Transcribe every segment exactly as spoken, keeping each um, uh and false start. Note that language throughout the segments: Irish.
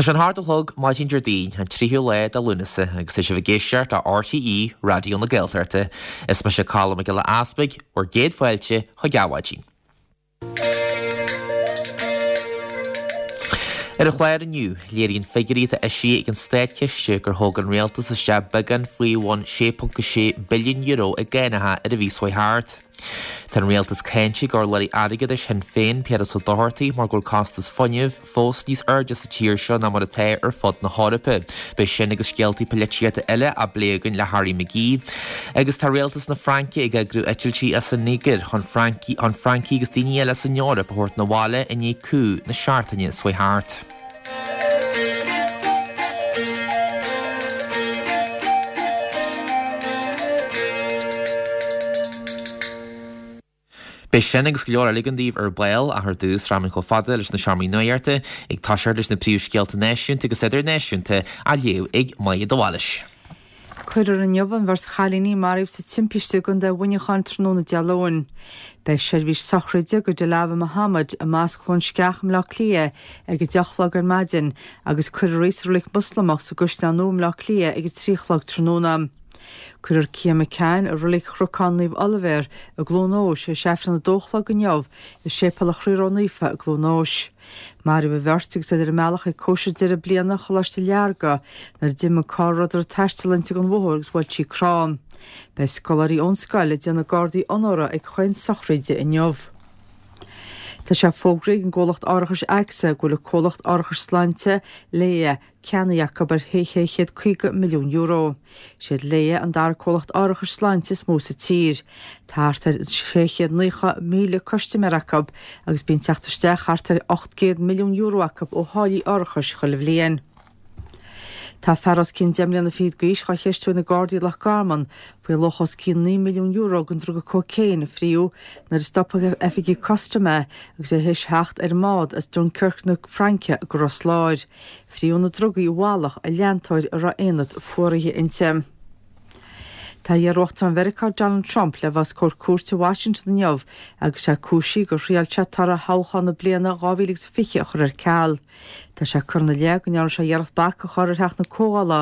Tá sé an hocht a chlog maidin Déardaoin, an tríú lá de Lúnasa, agus tá sibh ag éisteacht le RTÉ Raidió na Gaeltachta. Is mise Colm Mac Giolla Easpaig, bhur gcéad fáilte chuig Adhmhaidin. Ar an chlár inniu, léiríonn figiúirí atá eisithe ag an Státchiste gur thóg an rialtas isteach beagán faoi bhun sé ponc a sé billiún euro i gcánacha ar an mhí seo thart. Tá an rialtas cáinte ag urlabhraí airgeadais Shinn Féin, Piaras Ó Dochartaigh, mar go bhfuil costas fuinnimh fós níos airde sa tír seo ná mar atá ar fud na hEorpa. Beidh sin agus scéaltaí polaitíochta eile á bplé againn le Harry McGee. Agus tá rialtas na Fraince ag eagrú eitiltí as an Nigéir chun Francaigh chun Francaigh agus daoine eile san Eoraip a thabhairt 'na bhaile i ndiaidh coup na seachtaine seo thart. Beidh sin agus go leor eile againn daoibh ar ball, ach ar dtús, rachaimid chomh fada leis na seomraí nuachta, ag toiseacht leis na príomhscéalta náisiúnta agus idirnáisiúnta á léamh ag Maja de Bhailís. Cuirfear inniu an bheirt chailíní a maraíodh sa timpiste i gContae Mhuineacháin tráthnóna Dé Luain. Beidh seirbhís sochraide do Dilawa Mohammed i Mosc Chluain Sceach i mBleá Cliath ag a deich a chlog ar maidin agus cuirfear í sa reilig Moslamach sa gCaisleán Nua i mBleá Cliath ag a trí a chlog tráthnóna. Cuirfear Cian McCann i reilig Chnocán Naomh Oilibhéar i gCluain Eois tar éis Aifreann a dó a chlog inniu i Séipéal an Chroí Ró-Naofa i gCluain Eois. Maraíodh an bheirt agus iad ar a mbealach ag cóisir deireadh bliana Choláiste Learga nuair a d'imigh an carr a rabhadar ag taisteal inti den bhóthar agus bhuail sí crann. Beidh scoláirí ón scoil ag déanamh gardaí onóra ag chaon sochraide inniu. Tá sé fógraithe ag an gcomhlacht árachais AXA go bhfuil an comhlacht árachais sláinte, Laya, ceannaithe acu ar sé chéad caoga milliún euro. Is iad Laya an dara comhlacht árachais sláinte is mó sa tír. Tá thart ar sé chéad naocha míle custaiméir acu agus bíonn teacht isteach thart ar ocht gcéad milliún euro acu ó tháillí árachais chuile bhliain. Tá fear os cionn deich mbliana fichead d'aois dhá cheistiú ag na Gardaí i Loch Garman faoi luach os cionn naoi milliún euro den druga cócaon a fríodh nuair a stop oifigigh custaim é agus é théis theacht ar an mbád as Dunkirk na Fraince go Ros Láir. Fríodh na drugaí i bhfalach i leantóir a raibh aonad fuaraithe inti. Tá iar-uachtarán Mheiriceá Donald Trump le bheith os comhair cúirte i Washington inniu agus é cúisithe gur thriail sé toradh thoghchán na bliana dhá mhíle agus fiche a chur ar ceal. Tá sé curtha ina leith go ndearna sé iarracht bac a chur ar Theach na Comhdhála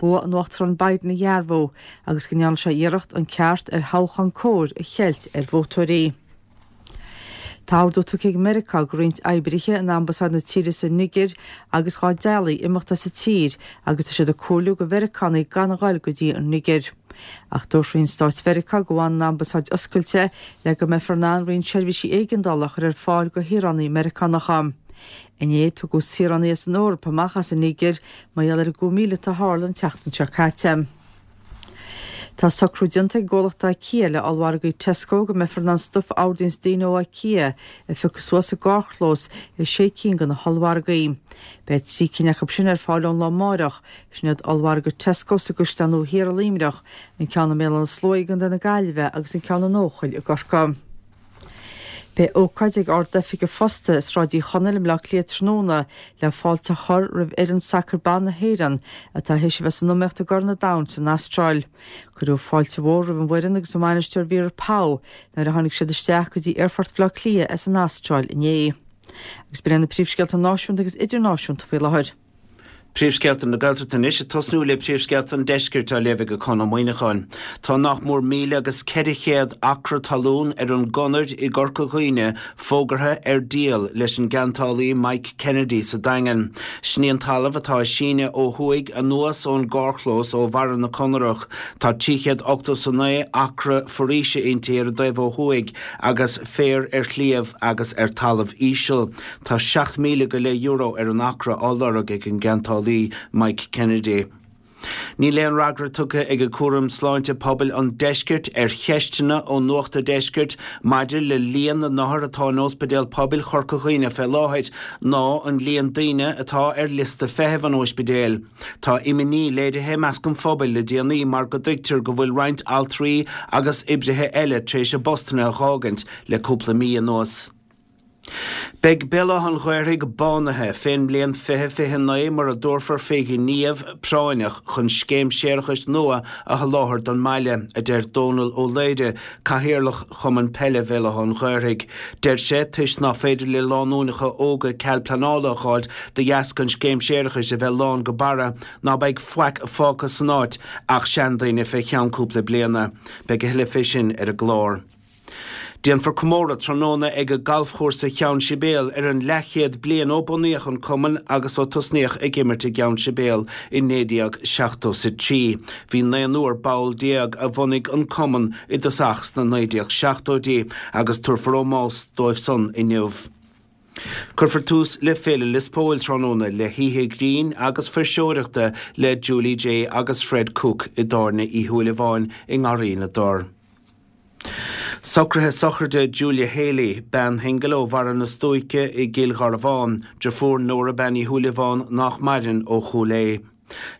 bua an Uachtaráin Biden a dhearbhú agus go ndearna sé iarracht an ceart ar thoghchán cóir a cheilt ar vótóirí. Tá ordú tugtha ag Meiriceá do roinnt oibrithe in ambasáid na tíre sa Nigéir agus dhá dteaghlaigh imeacht as an tír agus tá siad ag comhairliú do Mheiriceánaigh gan a ghoil go dtí an Nigéir. Ach dúirt Roinn Stáit Mheiriceá go bhfanann an ambasáid oscailte le go mbeifear in ann roinnt seirbhísí éigeandála a chur ar fáil do shaoránaigh Meiriceánacha. Inné, tugadh saoránaigh as an Eoraip amach as an Nigéir mar gheall ar an gcoup míleata a tharla an tseachtain seo caite. Tá socrú déanta ag an gcomhlacht IKEA le ollmhargaí Tesco go mbeifear in ann stuif a ordaíonns daoine ó IKEA a phiocadh suas sa gcarrchlós i sé cinn de na hollmhargaí. Beidh trí cinn acu sin ar fáil ón lá amáireach, sin iad ollmhargadh Tesco sa gCaisleán Nua Thiar i Luimneach, an ceann i mBéal Átha na Sluaighe i gContae na Gaillimhe agus an ceann in Eochaill i gCorcaigh. Beidh ócáid ag Ard-Oifig an Phosta i Sráid Uí Chonaill i mBleá Cliath tráthnóna le fáilte a chur roimh fhoireann sacair ban na hÉireann atá théis a bheith san iomaíocht i gCorn an Domhain san Astráil. Cuireadh fáilte mhór roimh an bhfoireann agus a mbainisteoir Vera Pauw nuair a tháinig siad isteach go dtí Aerfort Bhaile Átha Cliath as an Astráil inné. Agus b'in iad na príomhscéalta náisiúnta agus idirnáisiúnta faoi láthair. Príomhscéalta na Gaeltachta anois, ag tosnú le príomhscéalta an Deiscirt á léamh ag Conn Ó Muíneacháin. Tá nach mór míle agus ceithre chéad acra talún ar an gConair i gCorca Dhuibhne fógartha ar díol leis an gceantálaí Mike Kennedy sa Daingean. Sin í an talamh atá ag síneadh ó thuaidh anuas ón gcarrchlós ó bharra na Conarach. Tá trí chéad ochtó 's a naoi acra foraoise inti ar an dtaobh ó thuaidh agus féar ar shliabh agus ar talamh íseal. Tá seacht míle go leith euro ar an acra á lorg ag an gceantálaí Mike Kennedy. Níl aon fhreagra tugtha ag Cúram Sláinte Pobail an Deiscirt ar cheisteanna ó Nuacht a' Deiscirt maidir le líon na n-othar atá in Ospidéal Pobail Chorca Dhuibhne fé láthair ná an líon daoine atá ar liosta feithimh an ospidéil. Tá imní léirithe i measc an phobail le déanaí mar go dtuigtear go bhfuil roinnt altraí agus oibrithe eile tar éis a bpostanna a dh'fhágaint le cúpla mí anuas. Beidh Béal Átha an Ghaorthaidh bánaithe fén mbliain fiche fiche naoi mura dtabharfar fé ghníomh práinneach chun scéim séarachais nua a sholáthar don mbaile, a deir Dónal Ó Laoire, Cathaoirleach Chumann Peile Bhéal Átha an Ghaorthaidh. Deir sé, toisc ná féidir le lánúineacha óga cead pleanála a dh'fháilt de dheasca an scéim séarachais a bheith lán go barra, ná beidh faic fágtha san áit ach seandaoine fé cheann cúpla bliana. Beidh a thuilleadh fé sin ar an gclár. Déanfar comóradh tráthnóna ag Galfchúrsa Cheann Sibéal ar an leathchéad bliain ó bunaíodh an cumann agus ó tosnaíodh ag imirt i gCeann Sibéal i naoi déag seachtó is a trí. Bhí naonúr ball déag a bhunaigh an cumann i dtosach sna naoi déag seachtóidí agus tabharfar ómós dóibh san inniu. Cuirfear tús le Féile Lios Póil tráthnóna le hoíche ghrinn agus fuirseoireachta le Julie Jay agus Fred Cooke i dTábhairne Uí Shúilleabháin i nGarraí na dTor. Socruithe sochraide Julia Haley, bean shingil ó Bharra na Stuaice i gCill Gharbháin, deirfiúr Nóra Bean Uí Shúilleabháin nach maireann ó Chúil Aodha.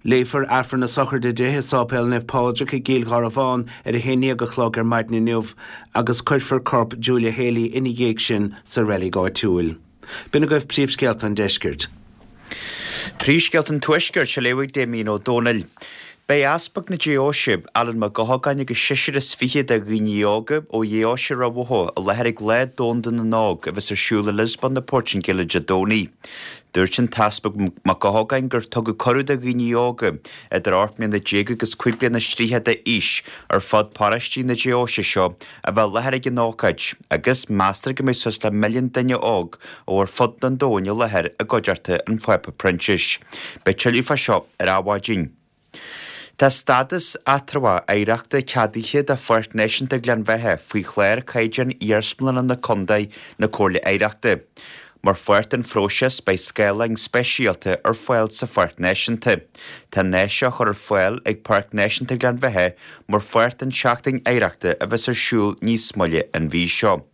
Léifear Aifreann na sochraide di i Sáipéal Naomh Pádraig i gCill Gharbháin ar a haon déag a chlog ar maidin inniu agus cuirfear corp Julia Haley ina dhiaidh sin sa reilig áitiúil. B'in agaibh príomhscéalta an deiscirt. Príomhscéalta an Tuaiscirt á léamh ag Damien Ó Dónaill. Beidh Easpag na Deoise, Alan Mac Gothagáin agus seisear is fiche de dhaoine óga ó Dheoise Ráth Bhoth i láthair ag Lá Domhanda na nÓg a bheas ar siúl i Lisbon na Portaingéile Dé Domhnaigh. Dúirt an tEaspag Mac Gothagáin gur tugadh cuireadh do dhaoine óga idir ocht mbliana déag agus cúig bliana is tríocha d'aois ar fud paróistí na deoise seo a bheith i láthair ag an ócáid agus meastar go mbeidh suas le milliún duine óg ó ar fud an domhain i láthair i gcuideachta an Phápa Proinsias. Beidh tuilleadh fá seo ar Adhmhaidin. Tá stádas eatramhach oidhreachta ceadaithe do Pháirc Náisiúnta Ghleann Bheatha faoi chlár caighdeán iarsmalanna na Contae na Comhairle Oidhreachta. Mar pháirt den phróiseas beidh scáileáin speisialta ar fáil sa Pháirc Náisiúnta. Tá an áis seo á chur ar fáil ag Páirc Náisiúnta Ghleann Bheatha mar pháirt den tSeachtain Oidhreachta a bheas ar siúl níos moille an mhí seo.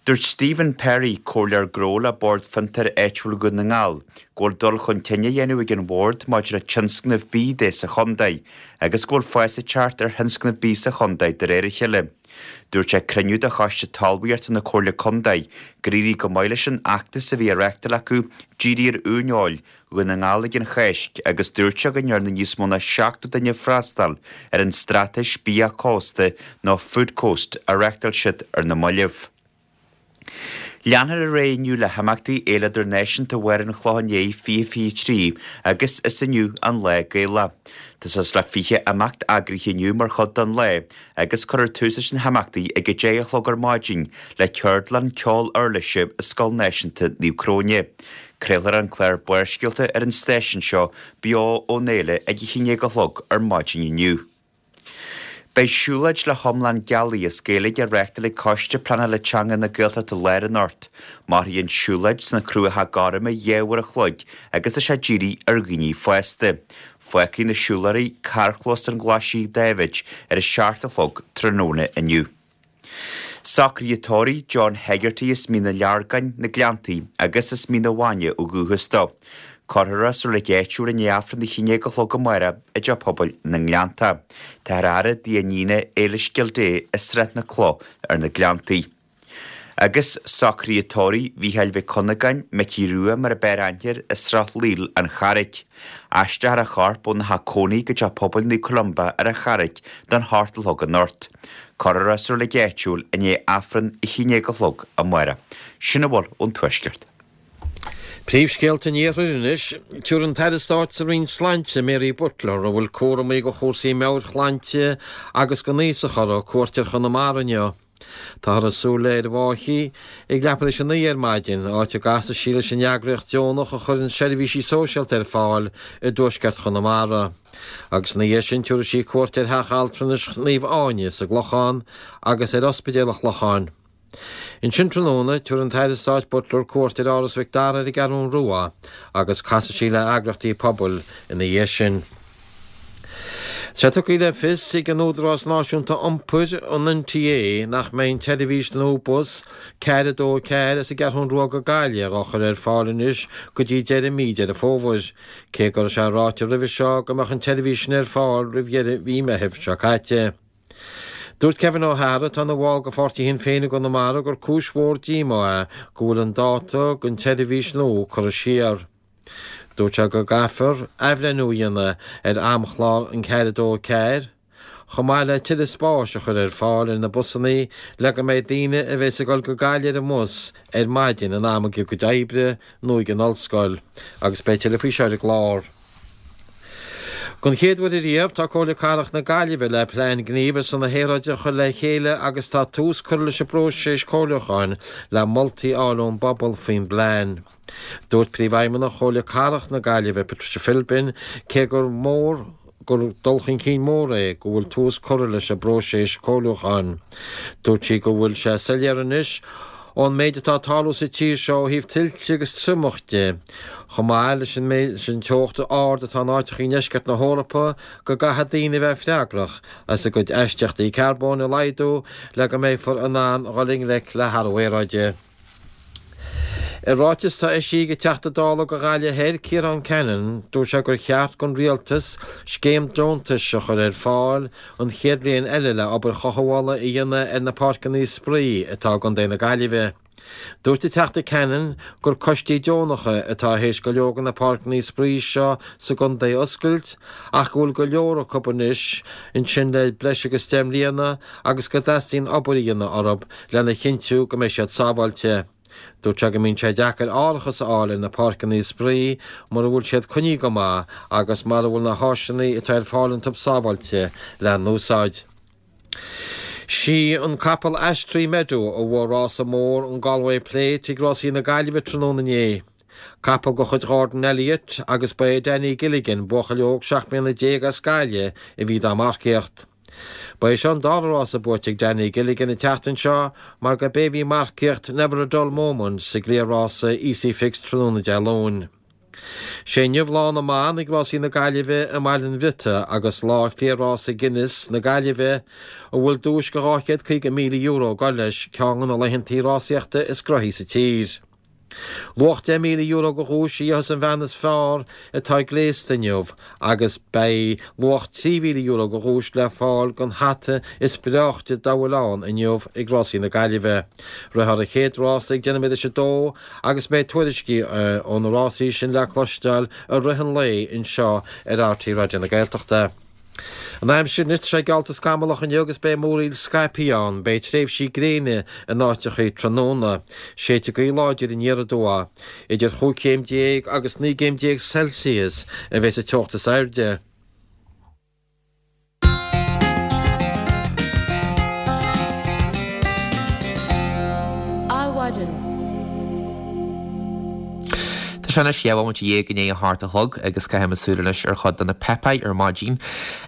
Dúirt Stephen Perry, comhairleoir gnó le Bord Fiontair Áitiúil Dhún na nGall, go bhfuil dul chun cinn á dhéanamh ag an bhord maidir le tionscnamh bídh de sa chontae agus go bhfuil fás ag teacht ar thionscnamh bídh sa chontae de réir a chéile. Dúirt sé ag cruinniú de Choiste Talmhaíochta na Comhairle Contae gur éirigh go maith leis an fheachtas a bhí á reáchtáil acu díriú ar uaineoil Dhún na nGall ag an Cháisc agus dúirt sé go ndearna níos mó ná seachtó duine freastal ar an straitéis bia cósta nó Food Coast a reáchtáil siad ar na mallaibh. Leanfar ar aghaidh inniu le himeachtaí Fhéile Idirnáisiúnta Bharr an Chlocháin Léith fiche fiche trí agus is inniu an Lá Gaelach. Tá suas le fiche imeacht eagraithe inniu mar chuid den lá agus cuirfear tús leis na himeachtaí ag a deich a chlog ar maidin le ceardlann ceol uirlise i Scoil Náisiúnta Naomh Cróine. Craolfar an clár Barrscéalta ar an stáisiún seo beo ón fhéile ag a haon déag a chlog ar maidin inniu. Beidh siúlóid le hiomlán gealaí as Gaeilge á reáchtáil ag Coiste Pleanála Teanga na Gaeltachta Láir anocht. Mairfidh an tsiúlóid sna Cruacha Gorma dhá uair a chloig agus tá sé dírithe ar dhaoine fásta. Fágfaidh na siúlóirí carrchlós an Ghlaisigh Dáibhid ar a seacht a chlog tráthnóna inniu. Socruithe tórraimh John Hegarty as Mín an Leargáin, Na Gleanntaí, agus as Mín an Mhaine ó dhúchas dó. Cuirfear é sa reilig áitiúil i ndiaidh Aifreann a haon déag a chlog amárach i dTeach Pobail na nGleanntach. Táthar á fhaire dtigh a iníne Éilis Gildea i Srath na Cloch ar na Gleanntaí. Agus socruithe tórraimh Mhícheáil Mhic Cunagáin, Micí Rua mar a b'fhearr aithne air, i Srath Laoil, An Charraic. Aistreofar a chorp óna theach cónaí go Teach Pobail Naomh Columba ar an Charraic don hocht a chlog anocht. Cuirfear é sa reilig áitiúil i ndiaidh Aifreann a haon déag a chlog amárach. Sin a bhfuil ón Tuaisceart. Príomhscéalta an Iarthair anois. Tabharfaidh an tAire Stáit sa Roinn Sláinte, Mary Butler, a bhfuil cúramaí do chúrsaí meabhairshláinte agus don aosach uirthi, cuairt ar Chonamara inniu. Táthar ag súil léi ar an bhFáichí ag leathuair tar éis a naoi ar maidin, áit a gcasfaidh sí leis an eagraíocht deonach a chuireann seirbhísí sóisialta ar fáil i dtuaisceart Chonamara. Agus ina dhiaidh sin tabharfaidh sí cuairt ar Theach Altranais Naomh Áine sa gClochán agus ar Ospidéal an Chlocháin. Ansin tráthnóna, tabharfaidh an tAire Stáit Butler cuairt ar Áras Mhic Dara ar an gCeathrú Rua agus casfaidh sí le heagraíochtaí pobail ina dhiaidh sin. Tá sé tugtha le fios ag an Údarás Náisiúnta Iompair, an NTA, nach mbeidh an tseirbhís nua bus ceathair a dó a ceathair as an gCeathrú Rua go Gaillimh á chur ar fáil anois go dtí deireadh mí Deireadh Fómhair, cé go raibh sé ráite roimhe seo go mbeadh an tseirbhís sin ar fáil roimh dheireadh mhí Meithimh seo caite. Dúirt Kevin O'Hara atá ina bhall de pháirtí Shinn Féin i gConamara gur cúis mhór díomá é go bhfuil an dáta don tseirbhís nua curtha siar. Dúirt sé go gcaithfear athbhreithniú a dhéanamh ar amchlár an ceathair a dó a ceathair, chomh maith le tuilleadh spáis a chur ar fáil ar na busanna le go mbeidh daoine a bheas ag dul go Gaillimh ar an mbus ar maidin in am ag a gcuid oibre nó ag an ollscoil. Agus beidh tuilleadh faoi seo ar an gclár. Don chéad uair ariamh, tá Comhairle Cathrach na Gaillimhe le plean gnímh ar son na haeráide a chur le chéile agus tá tús curtha leis an bpróiseas comhairliúcháin le moltaí a fháil ón bpobal faoin bplean. Dúirt Príomhfheidhmeannach Chomhairle Cathrach na Gaillimhe, Patricia Philbin, cé gur mór gur dul chun cinn mór é go bhfuil tús curtha leis an bpróiseas comhairliúcháin. Dúirt sí go bhfuil sé soiléir anois ón méid atá ag tarlú sa tír seo ó thaobh tuilte agus triomach de, chomh maith leis an méid leis an teocht ard atá in áiteacha i ndeisceart na hEorpa, go gcaithfidh daoine a bheith freagrach as a gcuid aistíochtaí carbóin a laghdú le go mbeifear in ann dhul i ngleic le hathrú aeráide. I ráiteas atá eisithe ag an Teachta Dála do Ghaillimh Thoir, Ciarán Cannon, dúirt sé gur cheart don Rialtas scéim deontais a chur ar fáil an chéad bhliain eile le obair chothabhála a dhéanamh ar na páirceanna spraoi atá i gContae na Gaillimhe. Dúirt an Teachta Cannon gur coistí deonacha atá théis go leor de na páirceanna spraoi seo sa gcontae a oscailt ach go bhfuil go leor acu anois ansin le breis agus deich mbliana agus go dteastaíonn obair a dhéanamh orthu lena chinntiú go mbeidh siad sábháilte. Dúirt sé go mbíonn sé deacair árachas a fháil ar na páirceanna spraoi mura bhfuil siad coinnithe go maith agus mura bhfuil na háiseanna atá ar fáil iontu sábháilte le n-úsáid. Sí an capall Ash Tree Meadow a bhuaigh rása mór an Galway Plate ag Rásaí na Gaillimhe tráthnóna inné. Capall de chuid Ghordon Elliott agus ba é Danny Gilligan, buachaill óg seacht mbliana déag as Gaillimh, a bhí dá marcaíocht. Ba é seo an dara rása buaite ag Danny Gilligan an tseachtain seo mar gurb é a bhí ag marcaíocht Never a Dull Moment sa gcliathrása Easy Fix tráthnóna Dé Luain. Sé inniu lá na mban ag Rásaí na Gaillimhe i mBaile an Bhriotaigh agus lá chliathrása Guinness na Gaillimhe, a bhfuil duais de dhá chéad caoga míle euro ag dul leis, ceann de na laethantaí rásaíochta is gnoithí sa tír. Luach deich míle euro de dhuais a gheobhas an bhean is fearr atá gléasta inniu agus beidh luach trí mhíle euro de dhuais le fáil don hata is breáichte dá bhfuil ann inniu ag Rásaí na Gaillimhe. Rithfear an chéad rása ag deich nóiméad théis a dó agus beidh tuairiscí ó na rásaí sin le cloisteáil i rith an lae anseo ar RTÉ Raidió na Gaeltachta. An aimsir anois, tá sé geallta scamallach inniu agus beidh múraíl scaipthe ann. Beidh tréimhsí gréine in áiteachaí tráthnóna. Séidfidh gaoth láidir aniar aduaidh. Idir chúig chéim déag agus naoi gcéim déag Celsius a bheas an teocht is airde. Adhmhaidin. Tá sé anois dhá bhomaite dhéag i ndiaidh a hocht a chlog agus caithfimid súil anois ar chuid de na páipéir ar maidin.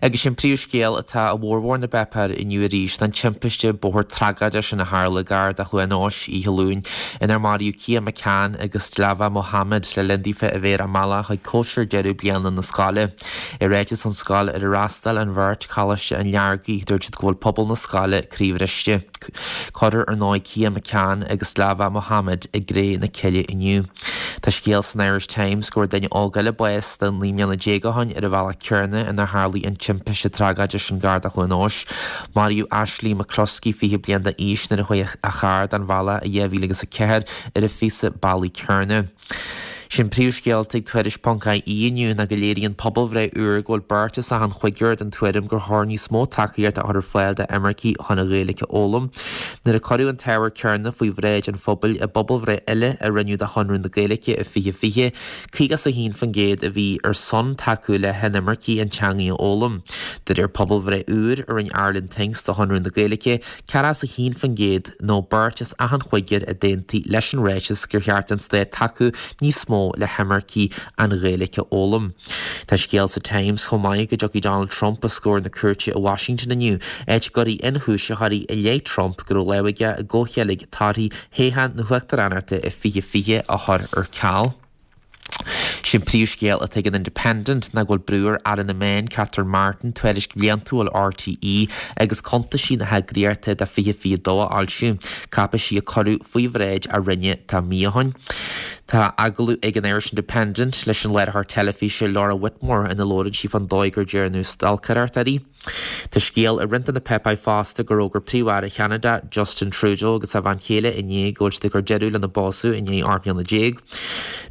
Agus sin príomhscéal atá i bhformhór na bpáipéar inniu arís ná an timpiste bóthair tragóideach sin a tharla gar do Chluain Eois oíche Luain inar maraíodh Cian McCann agus Dilawar Mohammed le linn daofa a bheith ar a mbealach chuig cóisir deireadh bliana na scoile. I ráiteas ón scoil ar ar fhreastail an bheirt, Coláiste an Fhleargaigh, dúirt siad go bhfuil pobal na scoile croíbhriste. Cuirfear ar ndóigh Cian McCann agus Dilawar Mohammed i gcré na cille inniu. Tá scéal san Irish Times go bhfuair duine óg eile bás naoi mbliana déag ó shin ar an bhealach céanna inar tharlaigh an timpiste tragóideach sin gar do Chluain Eois. Maraíodh Ashley McCluskey, fiche bliain d'aois, nuair a chuaigh a charr den bhealach i dhá mhíle agus a ceathair ar an phíosa bealaigh céanna. Sin príomhscéalta ag Tuairisc ponc ie inniu ná go léiríonn pobalbhreith úr go bhfuil beirt as achan chúigear den tuairim gur chóir níos mó tacaíocht a chur ar fáil d'imircigh chun an Ghaeilge a fhoghlaim. Nuair a cuireadh an t-ábhar céanna faoi bhráid an phobail i bpobalbhreith eile a rinneadh do Chonradh na Gaeilge i fiche fiche, caoga is a haon faoin gcéad a bhí ar son tacú le hinimircigh an teangaidh a fhoghlaim. De réir pobalbhreith úr a rinne Ireland Thinks do Chonradh na Gaeilge, ceathracha is a haon faoin gcéad nó beirt as achan chúigear a d'aontaigh leis an ráiteas gur cheart don stát tacú níos mó le himircigh an Ghaeilge a fhoghlaim. Tá scéal sa Times chomh maith go dtiocfaidh Donald Trump os comhair na cúirte i Washington inniu, áit a gcuirfidh ionchúisitheoirí i leith Trump go raibh lámh aige i gcomhcheilg torthaí thoghchán na huachtaránachta i fiche fiche a chur ar ceal. Sin príomhscéal atá ag an Independent ná go bhfuil brú ar Aire na Meán, Catherine Martin, tuairisc bhliantúil RTÉ agus cuntaisí na heagraíochta do fiche fiche dó a fhoilsiú, cáipeisí a cuireadh faoi bhráid a Roinne tá mí ó shin. Tá agallamh ag an Irish Independent leis an léiritheoir teilifíse Laura Whitmore ina labhrann sí fán dóigh gur deineadh stalcaireacht uirthi. Tá scéal i roinnt de na páipéir fosta gur fhógair Príomh-Aire Cheanada, Justin Trudeau agus a bhean chéile inné go bhfuil siad ag cur deireadh lena bpósadh i ndiaidh ocht mbliana déag.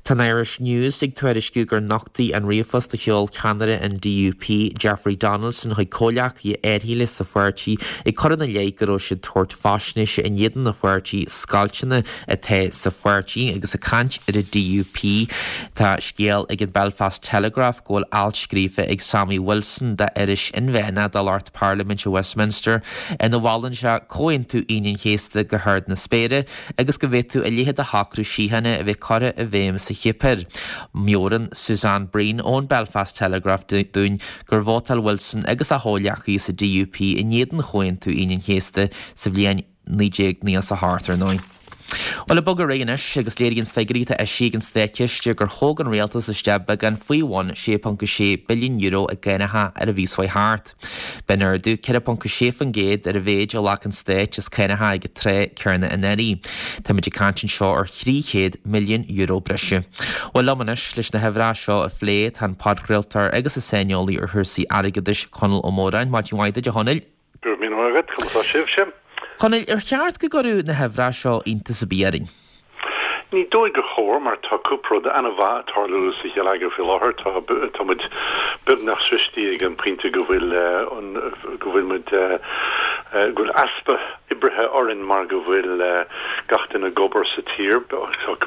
Tá an Irish News ag tuairisciú gur nochtadh an ríomhphost a sheol ceannaire an DUP, Jeffrey Donaldson chuig comhghleacaithe áirithe sa pháirtí ag cur ina leith go raibh siad ag tabhairt faisnéise in éadan an pháirtí scoilteanna atá sa pháirtí agus ag caint ar an DUP. Tá scéal ag an Belfast Telegraph go bhfuil alt scríofa ag Sammy Wilson d'iris inmheánach do lucht Parlaiminte Westminster ina mholann sé Comhaontú Aoine an Chéasta go hard na spéire agus go bhféadfadh a leithéid de shocrú síochána a bheith curtha i bhfeidhm sa Chipir. Meabhraíonn Suzanne Breen ón Belfast Telegraph dúinn gur vótáil Wilson agus a chomhghleacaithe sa DUP in éadan Chomhaontú Aoine an Chéasta sa bhliain naoi déag nócha a hocht ar ndóigh. Bhuel ag bogadh ar aghaidh anois agus léiríonn figiúirí atá eisithe ag an Státchiste gur thóg an rialtas isteach beagán faoi bhun sé ponc a sé billiún euro i gcánacha ar an mhí seo thart. B'in ardú ceithre ponc a sé faoin gcéad ar an mhéid a ghlac an Stát as cánacha ag an tráth céanna anuraidh. Táimid ag caint anseo ar thrí chéad milliún euro breise. Bhuel liom anois leis na huimhreacha seo a phlé tá an podchraoltóir agus an saineolaí ar chúrsaí airgeadais Conall Ó Móráin. Maidin mhaith duit a Chonaill. Go raibh míle maith agat, conas tá sibhse? Chonaill, ar cheart go gcuirfeadh na huimhreacha seo iontas ar bith orainn? Ní dóigh gur chóir mar tá cúpla rud an-mhaith ag tarlú sa gheilleagar faoi láthair. Tá tá muid beagnach sroichte ag an pointe go bhfuil an go bhfuil muid go bhfuil easpa oibrithe orainn mar go bhfuil gach duine ag obair sa tír.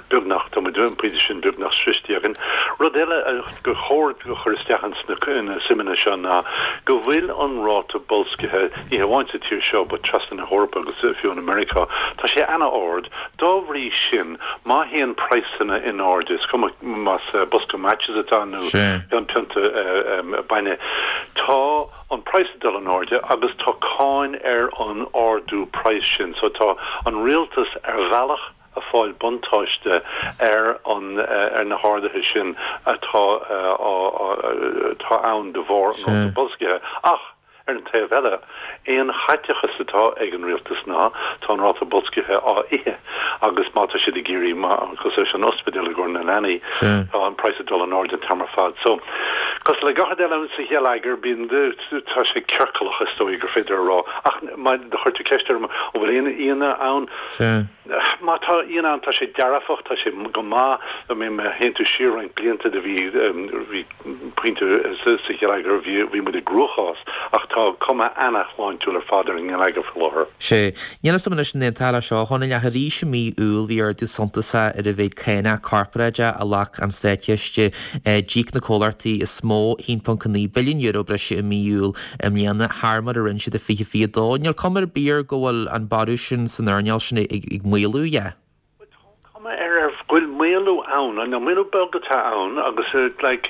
Beagnach tá muid an pointe sin beagnach sroichte againn. Rud eile gur chóir a chur isteach ins na suimeanna seo ná go bhfuil an ráta boilscithe ní hamháin sa tír seo but trasna na hEorpa agus fiú in America, tá sé an-ard. Dá bhrí sin, má théann praghsanna in airde, is cuma más bosca matches atá nó pionta bainne, tá an praghas ag dul in airde agus tá cáin ar an ardú praghas sin. So tá an rialtas ar bhealach ag fáil buntáiste ar an ar na harduithe sin atá atá ann de bharr an ráta boilscithe. Ach ar an taobh eile, aon chaiteachas atá ag an rialtas ná tá an ráta boilscithe á ithe agus má tá siad ag iarraidh cosúil leis an ospidéal i gcomhair na leanaí, tá an praghas ag dul in airde an t-am ar fad. So cosúil le gach rud eile sa gheilleagar bíonn tá sé ciorclach is dóigh gur féidir a rá. Ach má do chuir tú ceist orm an bhfuil aon ionadh ann? Má tá ionadh ann tá sé dearfach, tá sé go maith. I mean má théann tú siar roinnt blianta do bhí bhí pointe sa gheilleagar bhí bhí muid i gcruachás ach tá cuma an-shláintiúil ar fad ar an ngeilleagar faoi láthair. Sea. Níl a fhios agam anois an aontófá leis seo, a Chonaill, ach arís i mí Iúil bhí ardú suntasach ar an mhéid cánach corparáideach a ghlac an Státchiste. D'íoc na comhlachtaí is mó a haon ponc a naoi billiún euro breise i mí Iúil i mbliana thar mar a rinne siad i fiche fiche a dó. Níl cuma ar bith air go bhfuil an borradh sin san earnáil sin ag maolú, yeah. Tá cuma ar ar go bhfuil maolú ann, an maolú beag atá ann agus like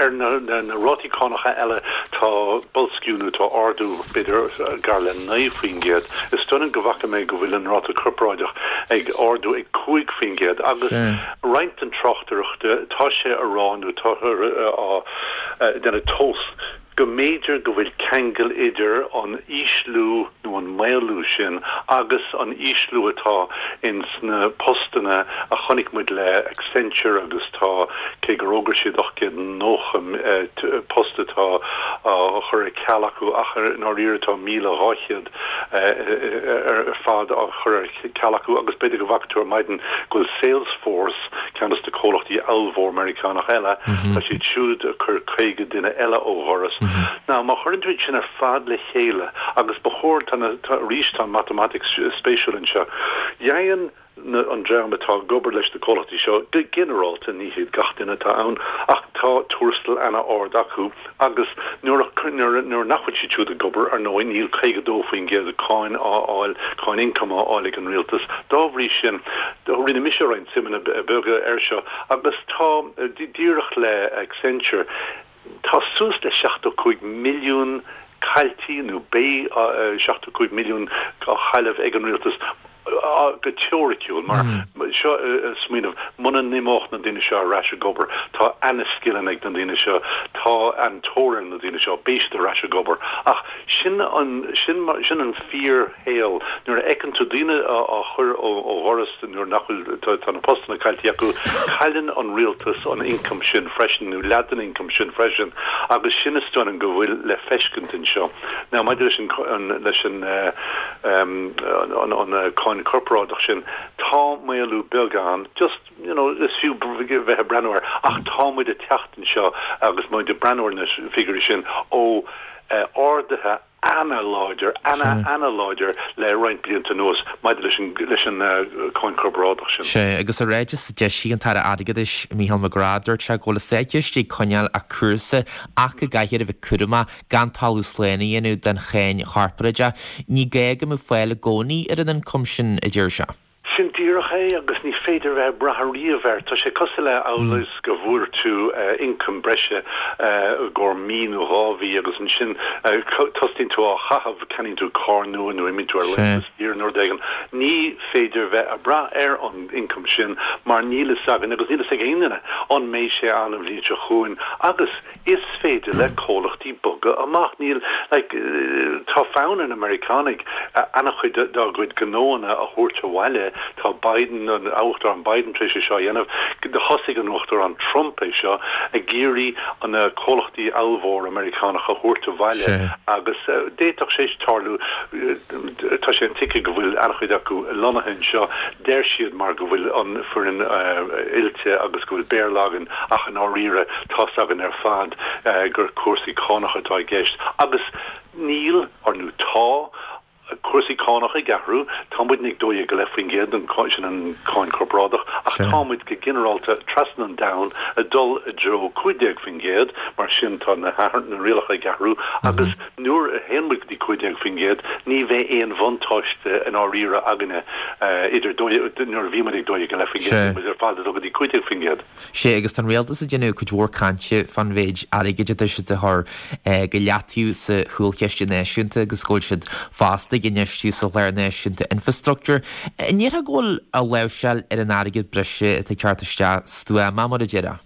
ar na na na rátaí cánacha eile tá boilsciú nó tá ardú b'fhéidir gar le naoi faoin gcéad. Is dóigh liom go bhfaca mé go bhfuil an ráta corparáideach ag ardú ag cúig faoin gcéad agus roinnt den tráchtaireacht tá sé a rá nó tá á déanamh tomhas go mb'fhéidir go bhfuil ceangal idir an ísliú nó an maolú sin agus an ísliú atá ins na postanna a chonaic muid le Accenture agus tá cé gur fhógair siad ocht gcéad nócha post atá á chur ar ceal acu ach i ndáiríre tá míle dhá chéad ar fad á chur ar ceal acu agus b'fhéidir go bhfaca tú ar maidin go bhfuil Salesforce, ceann de na comhlachtaí ollmhór Meiriceánach eile, tá siad siúd ag cur caoga duine eile ó dhoras. Now má chuireann tú iad sin ar fad le chéile, agus ba chóir, tá na, tá, arís tá an matamaitic spéisiúil anseo, dhein na, an dream atá ag obair leis na comhlachtaí seo, go ginearálta, ní hiad gach duine atá ann, ach tá tuarastal ana-ard acu agus nuair a, nuair, nuair nach bhfuil siad siúd ag obair, ar ndóigh, níl caoga dó faoin gcéad cáin á fháil, cáin ioncaim á fháil ag an rialtas. Dá bhrí sin, rinne mise roinnt suimeanna beaga air seo agus tá, díreach le Accenture, Tá suas le seachtó cúig milliún caillte nó beidh seachtó cúig milliún á chailleadh ag an rialtas go teoiriciúil mar seo smaoineamh muna n-imeodh na daoine seo ar ais ag obair, tá ana-scileanna ag na daoine seo, tá an-tóir ar na daoine seo, beidh siad ar ais ag obair. Ach sin an, sin, sin an fíorshaol. Nuair a fheiceann tú daoine á, á chur ó, ó dhoras nuair nach bhfuil, tá, tá na postanna caillte acu, cailleann an rialtas an income sin freisin, nó leath den income sin freisin, agus sin is dóigh liom go bhfuil le feiscint anseo. Now maidir leis an, an, leis an, eh, um, an, an, an cáin corparáideach sin, tá maolú beag ann, just, you know, is fiú bheith ag breathnú air, ach tá muid ag teacht anseo agus muid ag breathnú ar na figiúirí sin ó eh, arduithe ana-láidir, ana, ana-láidir le roinnt blianta anuas maidir leis an, leis an eh, cáin corparáideach sin. Sea, agus i ráiteas a d'eisigh an tAire Airgeadais, Mícheál McGrath, dúirt sé go bhfuil an Státchiste ag coinneáil a cúrsa ach go gcaithfear a bheith cúramach gan talamh slán a dhéanamh den cháin chorparáideach. Ní gá go mbeadh fáil i gcónaí ar an ioncam sin, a deir sé. Sin díreach é agus ní féidir bheith ag brath riamh air. Tá sé cosúil le amhail is go bhfuair tú ioncam breise i gcomhair mí nó dhá mhí agus ansin tosaíonn tú á chaitheamh, ceannaíonn tú carr nua nó imíonn tú ar laethanta saoire nó rud éigin. Ní féidir bheith ag brath ar an ioncam sin mar níl fhios againn agus níl fhios ag aon duine an mbeidh sé ann an bhliain seo chugainn agus is féidir le comhlachtaí bogadh amach. Níl, like, tá fonn ar na Meiriceánaigh an-chuid dá gcuid gnóanna a thabhairt abhaile. Tá Biden, an Uachtarán Biden tar éis é seo a dhéanamh. Thosaigh an Uachtarán Trump é seo, ag iarraidh na comhlachtaí ollmhóra Meiriceánacha a thabhairt abhaile agus d'fhéadfadh sé tarlú, tá sé intuigthe go bhfuil an-chuid acu lonnaithe anseo, deir siad mar go bhfuil an foireann oilte agus go bhfuil Béarla againn ach i ndáiríre tá's againn ar fad gur cúrsaí cánach atá i gceist agus níl, or nó tá, cúrsaí cánach ag athrú, tá muidne ag dó dhéag go leith faoin gcéad, sin an cáin chorparáideach, ach tá muid go ginearálta trasna an domhain ag dul i dtreo cúig déag faoin gcéad, mar sin tá na na rialacha ag athrú agus nuair a théann muid go dtí cúig déag faoin gcéad ní bheidh aon bhuntáiste i ndáiríre againne idir dó nuair a bhí muid ag dó dhéag go leith faoin gcéad, muid ar fad ag dul go dtí cúig déag faoin gcéad. Sea, agus tá an rialtas ag déanamh cuid mhór cainte fán mhéid airgid atá siad a chur go leataobh sa chúlchiste náisiúnta agus go bhfuil siad fosta ag infheistiú sa Chlár Náisiúnta Infreastruchtúir. An ndéarfá go bhfuil a láimhseáil ar an airgead breise atá ag teacht isteach stuama, mar a déarfá?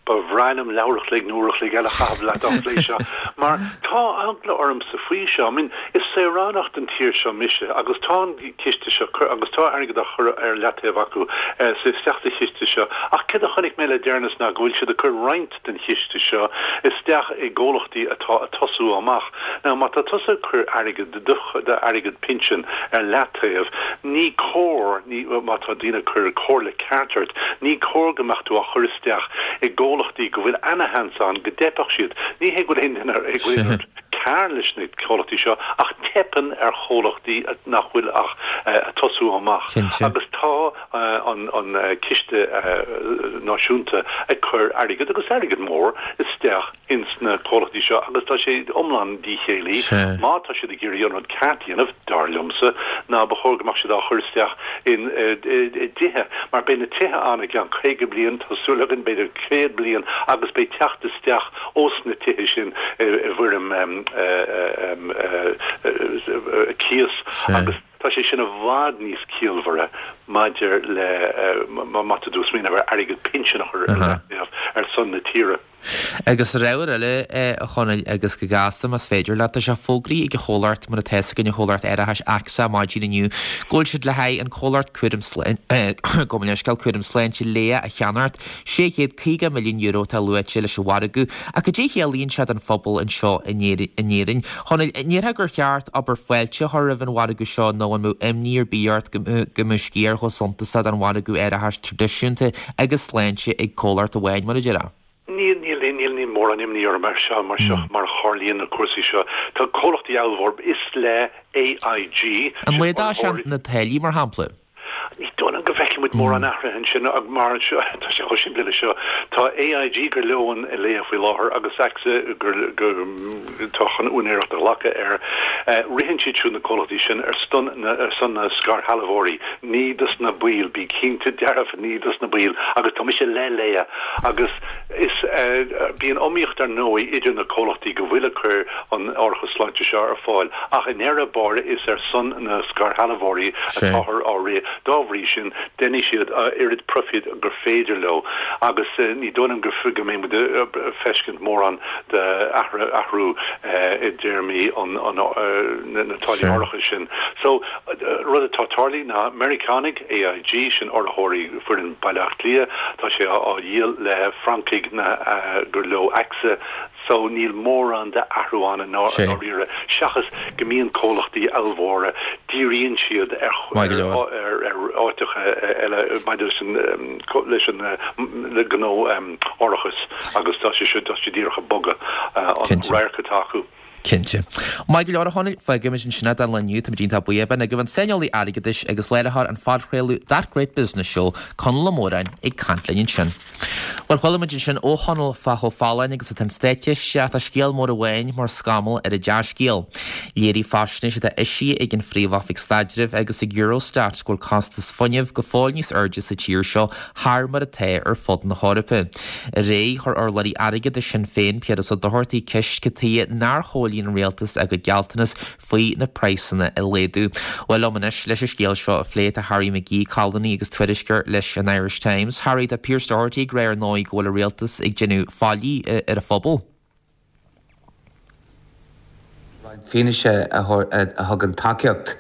Ba bhreá liom leathuair a chloig nó uair a chloig eile a chaitheamh leat á phlé seo, mar tá eagla ormsa faoi seo. I mean, is saoránach den tír seo mise agus tá an ciste seo agus tá airgead á chur ar leataobh acu sa isteach sa chiste seo. Ach céard a chonaic mé le deireanas ná go bhfuil siad ag cur roinnt den chiste seo isteach i gcomhlachtaí atá ag tosú amach. Now, má tá tusa ag cur airgead, d'airgead pinsin ar leataobh, ní cóir, ní, má tá daoine ag cur comhairle ceart ort, ní cóir go mbeadh tú á chur isteach i gcomhlachtaí go bhfuil ana-sheans ann go dteipfeadh siad. Ní hé go bhfuil aon duine ag rud cearr leis na comhlachtaí seo ach teipeann ar chomhlachtaí nach bhfuil ach ag tosú amach. Agus tá an an ciste náisiúnta ag cur airgead, agus airgead mór, isteach ins na comhlachtaí seo agus tá sé iomlán díchéillí. Má tá siad ag iarraidh an rud ceart a dhéanamh, dar liomsa, ná ba chóir go mbeadh siad á chur isteach in i dtithe, mar beidh na tithe ann i gceann caoga bliain, tá súil againn, b'fhéidir céad bliain, agus beidh teacht isteach ós na tithe sin i bhfoirm cíos agus tá sé sin i bhfad níos ciallmhaire maidir le má tá tú ag smaoineamh ar airgead pinsin a chur ar leataobh ar son na tíre. Agus ar ábhar eile, a Chonaill, agus go gasta más féidir leat, tá sé fógraithe ag an chomhlacht, mar atá fhios againn, an chomhlacht árachais AXA maidin inniu, go bhfuil siad le haghaidh an comhlacht cúram gabh mo leithscéal, cúram sláinte Laya a cheannacht. sé chéad caoga milliún euro atá luaite leis an mhargadh, ach cad é a chiallaíonn sé don phobal anseo in Éirinn? Chonaill, an ndéarfá gur cheart abair fáilte a chur roimh an mhargadh seo nó an mbeadh imní ar bith ort go mbeadh sciar chomh suntasach den mhargadh árachais traidisiúnta agus sláinte ag comhlacht amháin, mar a déarfá? Níl, níl, níl, níl mórán imní orm ar seo, mar seo, mar a tharlaíonn na cúrsaí seo. Tá comhlachtaí ollmhór, is le AIG, An laghdóidh sé na táillí, mar shampla? Ní dóigh liom go bhfeicfidh muid mórán athraithe ansin mar seo, tá sé chomh simplí leis seo, tá AIG gur leo an Laya faoi láthair agus AXA gur atá chun úinéireacht a ghlacadh air. Ritheann siad siúd na comhlachtaí sin ar son ar son na scairshealbhóirí, ní dos na baill, bí cinnte dearfa, ní dos na baill agus tá mise le Laya agus is bíonn iomaíocht ar ndóigh idir na comhlachtaí go bhfuil ag cur an árachas sláinte seo ar fáil ach i ndeireadh báire is ar son na scairshealbhóirí atáthar á rith. Dá bhrí sin, Déanfaidh siad oiread profit gur féidir leo agus ní dóigh liom go go mbeidh muid ag feiscint mórán de athrú i dtéarmaí an na táillí árachais sin. So rud atá tarlaithe ná Meiriceánaigh AIG sin urraitheoirí foireann Baile Átha Cliath, tá sé á dhíol le Francaigh na gur leo AXA so níl mórán de athrú ann i ndáiríre seachas go mbíonn comhlachtaí ollmhóra díríonn siad ar ar ar áiteacha eile maidir leis an leis an le gnó árachais agus tá sé tá sé díreach ag bogadh an radharc atá acu. Cinnte. Maith go leor a Chonaill, fágaimis ansin é don lá inniu, táimid iontach buíoch. B'in agaibh an saineolaí airgeadais agus léiritheoir an phodchraoladh That Great Business Show, Conall Ó Móráin, ag caint linn ansin. Bhuel, chuala muid ansin ó Chonall fá chomh folláin agus atá an státchiste ach tá scéal mór amháin mar scamall ar an dea-scéal. Léirigh faisnéis atá eisithe ag an Phríomh-Oifig Staidrimh agus ag Eurostat go bhfuil costas fuinnimh go fóill níos airde sa tír seo thar mar atá ar fud na hEorpa. Aréir, chuir urlabhraí airgeadais Shinn Féin, Piaras Ó Dochartaigh, ceist cad chuige nár chomhlíon an rialtas a gcuid gealltanas faoi na praghsanna a laghdú. Bhuel liom anois leis an scéal seo a phlé tá Harry McGee, colúnaí agus tuairisceoir leis an Irish Times. Harry, tá Pearse Doherty ag rá ar ndóigh go bhfuil an rialtas ag déanamh faillí ar an phobal. Roinnt fianaise a thugann tacaíocht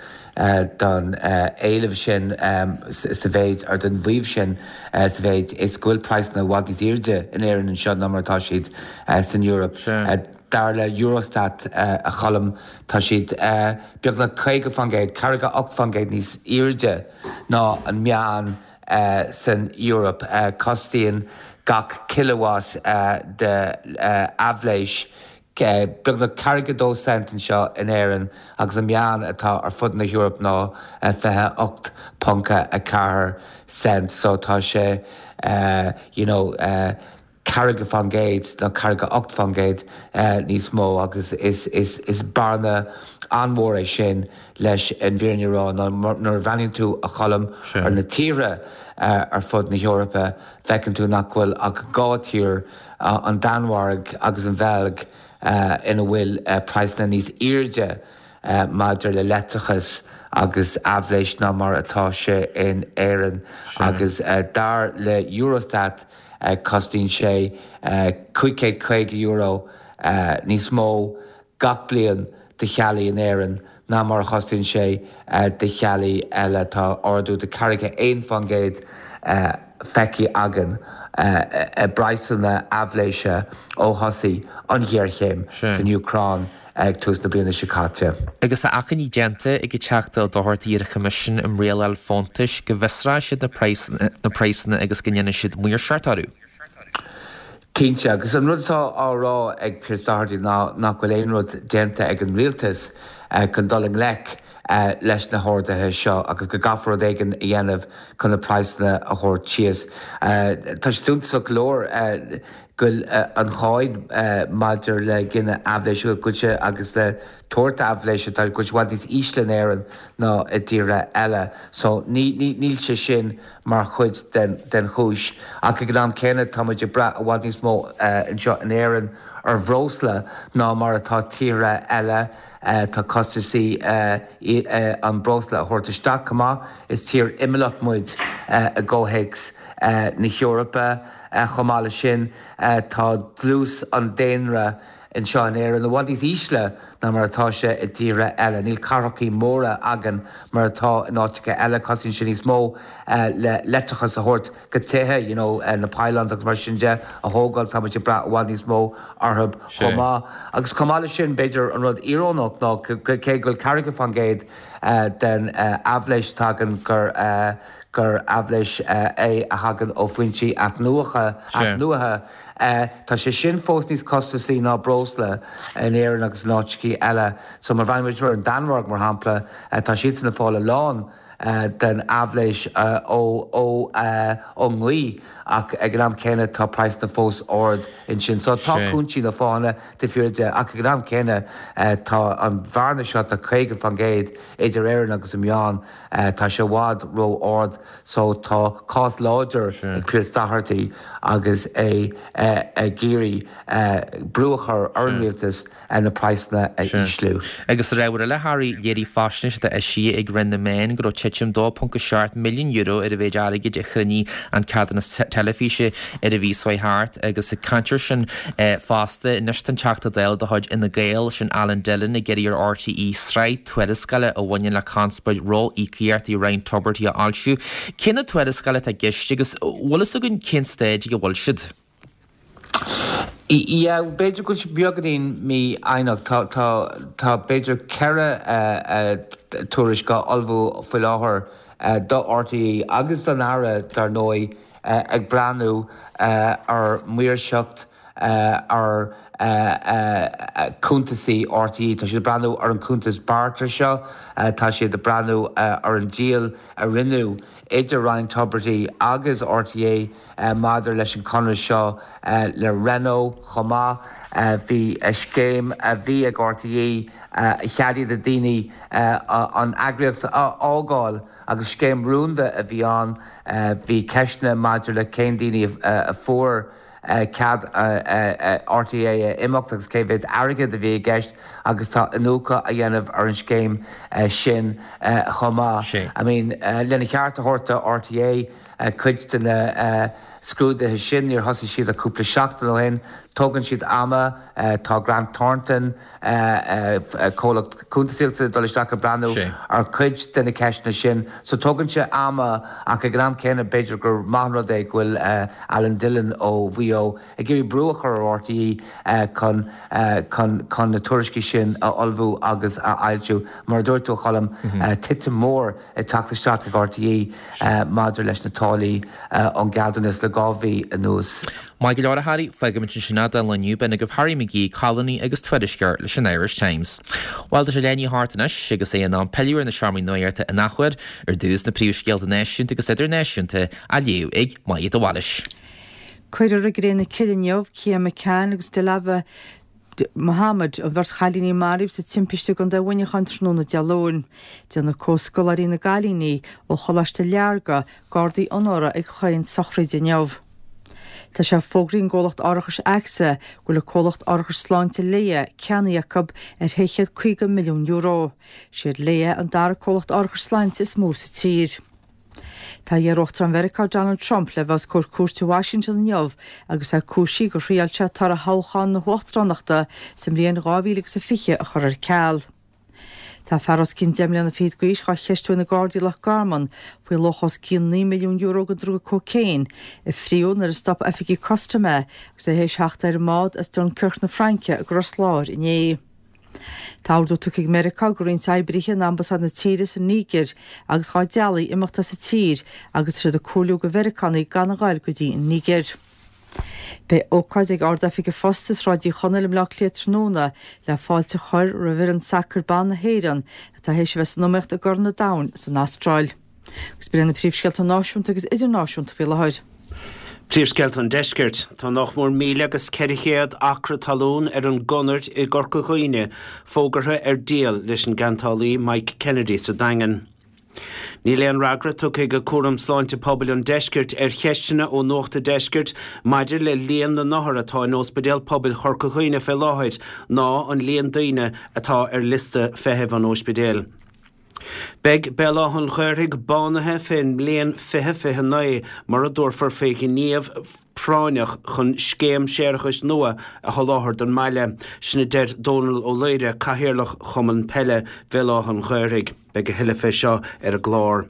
don éileamh sin sa mhéid, or don mhaíomh sin sa mhéid is go bhfuil praghsanna i bhfad níos airde in Éirinn anseo ná mar atá siad san Eoraip. Dar le Eurostat, a Choilm, tá siad beagnach caoga faoin gcéad, ceathracha ocht faoin gcéad níos airde ná an meán san Eoraip. Cosnaíonn gach kilowatt de aibhléis beagnach ceathracha dó cent anseo in Éirinn agus an meán atá ar fud na hEorpa ná fiche ocht ponc a ceathair cent. So tá sé you know ceathracha faoin gcéad nó ceathracha ocht faoin gcéad níos mó agus is is is bearna an-mhór é sin leis an bhfírinne a rá ná nuair a bhreathnaíonn tú a Choilm ar na tíortha ar fud na hEorpa feiceann tú nach bhfuil ach dhá tír, an Danmhairg agus an Bheilg, ina bhfuil praghsanna níos airde maidir le leictreachas agus aibhléis ná mar atá sé in Éirinn agus dar le Eurostat cosnaíonn sé cúig chéad caoga euro níos mó gach bliain do theaghlaigh in Éirinn ná mar a chosnaíonn sé do theaghlaigh eile. Tá ardú de ceathracha aon faoin gcéad feicthe againn i bpraghsanna aibhléise ó thosaigh an ghéarchéim san Úcráin ag tús na bliana seo caite. Agus tá achainí déanta ag an Teachta Ó Dochartaigh ar an Choimisiún um Rialáil Fóntais go bhfiosróidh siad na praghsanna agus go ndéanfaidh siad maoirseacht orthu. Cinnte, agus an rud atá á rá ag Pearse Doherty ná nach bhfuil aon rud déanta ag an rialtas chun dul i ngleic leis na harduithe seo agus go gcaithfear rud éigin a dhéanamh chun na praghsanna a thabhairt síos. Tá sé suntasach go leor go bhfuil an cháin maidir le gineadh aibhléise, go bhfuil sé agus le tabhairt aibhléise, tá go bhfuil sé i bhfad níos ísle in Éirinn ná i dtíortha eile. So níl sé sin mar chuid den chúis. Ach ag an am céanna tá muid ag brath i bhfad níos mó anseo in Éirinn ar bhreosla ná mar atá tíortha eile. Tá costasaí an breosla a thabhairt isteach chomh maith. Is tír imeallach muid i gcomhthéacs na hEorpa. Chomh maith leis sin, tá dlús an daonra anseo in Éirinn i bhfad níos ísle ná mar atá sé i dtíortha eile. Níl cathrachaí móra againn mar atá in áiteacha eile. Cosnaíonn sé níos mó le leictreachas a thabhairt go tithe, you know, na pylons agus mar sin de a thógáil. Tá muid ag brath i bhfad níos mó orthu chomh maith. Agus chomh maith leis sin, b'fhéidir an rud íorónach ná cé go bhfuil ceathracha faoin gcéad den aibhléis atá againn gur gur aibhléis é a thagann ó foinsí athnuaithe, tá sé sin fós níos costasaí ná breosla in Éirinn agus in áiteachaí eile. So má bhreathnaíonn muid ar an Danmhairg, mar shampla, tá siadsan ag fáil a lán den aibhléis ón ngaoth ach ag an am céanna tá praghsanna fós ard ansin. So tá cúinsí nó fáthanna taobh thiar de ach ag an am céanna tá an bhearna seo de caoga faoin gcéad idir Éirinn agus an meán, tá sé i bhfad ró-ard. So tá cás láidir ag Pearse Doherty agus é ag iarraidh brú a chur ar an rialtas na praghsanna a ísliú. Agus ar ábhar eile, Harry, léirigh faisnéis atá eisithe ag Roinn na Meán go raibh titim dó ponc a seacht milliún euro ar an mhéid airgid a chruinnigh an ceadúnas teilifíse ar an mhí seo thart agus ag caint air sin fosta anois tá an Teachta Dála de chuid Fhine Gael, sin Alan Dillon, ag iarraidh ar RTÉ sraith tuarascála a bhaineann le conspóid ró-íocaíochtaí Ryan Tubridy a fhoilsiú. Cé na tuarascála atá i gceist agus bhfuil fhios againn cén staid ag a bhfuil siad? Yeah, b'fhéidir go bhfuil sé beagáinín mífhoighneach. Tá, tá, tá b'fhéidir ceithre tuairisc á ullmhú faoi láthair do RTÉ agus don Aire, dar ndóigh, ag breathnú ar mhaoirseacht ar chuntasaí RTÉ. Tá siad ag breathnú ar an chuntas barter seo, tá siad ag breathnú ar an díol a rinneadh idir Ryan Tubridy agus RTÉ maidir leis an chonradh seo le Renault chomh maith. Bhí scéim a bhí ag RTÉ a cheadaigh do daoine an eagraíocht a fhágáil agus scéim rúnda a bhí ann. Bhí ceisteanna maidir le cén daoine a fuair cead RTÉ a imeacht agus cé mhéad airgead a bhí i gceist agus tá iniúchadh á dhéanamh ar an scéim sin chomh maith. I mean, lena cheart a thabhairt do RTÉ, cuid de na scrúduithe sin, níor thosaigh siad ach cúpla seachtain ó shin. Tógann siad ama. Tá Grant Thornton, comhlacht cuntasaíochta, ag dul isteach ag breathnú ar chuid de na ceisteanna sin. So tógann sé ama ach ag an am céanna b'fhéidir gur maith an rud é go bhfuil Alan Dillon ó Mhaigh Eo ag iarraidh brú a chur ar RTÉ chun chun chun na tuairiscí sin a ullmhú agus a fhoilsiú. Mar a dúirt tú a Cholm, titim mhór ag teacht isteach ag RTÉ maidir leis na táillí ón gceadúnas le dhá mhí anuas. Maith go leor a Harry, fágfaimid ansin é don lá inniu. B'in agaibh Harry McGee, colúnaí agus tuairisceoir leis an Irish Times. Bhuel, tá sé leath i ndiaidh a hocht anois agus é in am pilleadh ar na seomraí nuachta in athuair, ar dtús na príomhscéalta náisiúnta agus idirnáisiúnta á léamh ag Maija de Bhailís. Cuirfear i gcré na cille inniu Cian McCann agus Dilawar Mohammed, an bheirt chailíní a maraíodh sa timpiste i gContae Mhuineacháin tráthnóna Dé Luain. Déanfaidh comhscoláirí na gcailíní ó Choláiste Learga gardaí onóra ag chaon sochraid inniu. Tá sé fógraithe ag an gcomhlacht árachais AXA go bhfuil an comhlacht árachais sláinte Laya ceannaithe acu ar shé chéad caoga milliún euro. Siad Laya an dara comhlacht árachais sláinte is mó sa tír. Tá iar-Uachtarán Mheiriceá Donald Trump le bheith os comhair cúirte i Washington inniu agus é cúisithe gur thriail sé toradh thoghchán na huachtaránachta sa mbliain dhá mhíle agus a fiche a chur ar ceal. Tá fear os cionn deich mbliana fichead d'aois dhá cheistiú ag na Gardaí i Loch Garman faoi luach os cionn naoi milliún euro de dhruga cócaon a fríodh nuair a stop oifigigh custaim é agus é théis theacht ar an mbád as Dunkirk na Fraince go Ros Láir inné. Tá ordú tugtha ag Meiriceá do roinnt oibrithe in ambasáid na tíre sa Nígir agus dhá dteaghlaigh imeacht as an tír agus tá siad ag comhairliú do Mheiriceánaigh gan a ghoil go dtí an Nígir. Beidh ócáid ag Ard-Oifig an Phosta i Sráid Uí Chonaill i mBleá Cliath tráthnóna le fáilte a chur roimh fhoireann sacair ban na hÉireann atá théis a bheith san iomaíocht i gCorn an Domhain san Astráil. Agus b'in na príomhscéalta náisiúnta agus idirnáisiúnta faoi láthair. Príomhscéalta an Deiscirt. Tá nach mór míle agus ceithre chéad acra talún ar an gConair i gCorca Dhuibhne fógartha ar díol leis an gceantálaí Mike Kennedy sa Daingean. Níl aon fhreagra tugtha ag Cúram Sláinte Pobail an Deiscirt ar cheisteanna ó Nuacht an Deiscirt maidir le líon na n-othar atá in Ospidéal Pobail Chorca Dhuibhne fé láthair ná an líon daoine atá ar liosta feithimh an ospidéil. Beidh Béal Átha an Ghaorthaidh bánaithe fén mbliain fiche fiche naoi mura dtabharfar faoi ghníomh práinneach chun scéim séarachais nua a sholáthar don mbaile. Sin a deir Dónal Ó Laoire, Cathaoirleach Chumann Peile Bhéal Átha an Ghaorthaidh. Beidh a thuilleadh fé seo ar an gclár.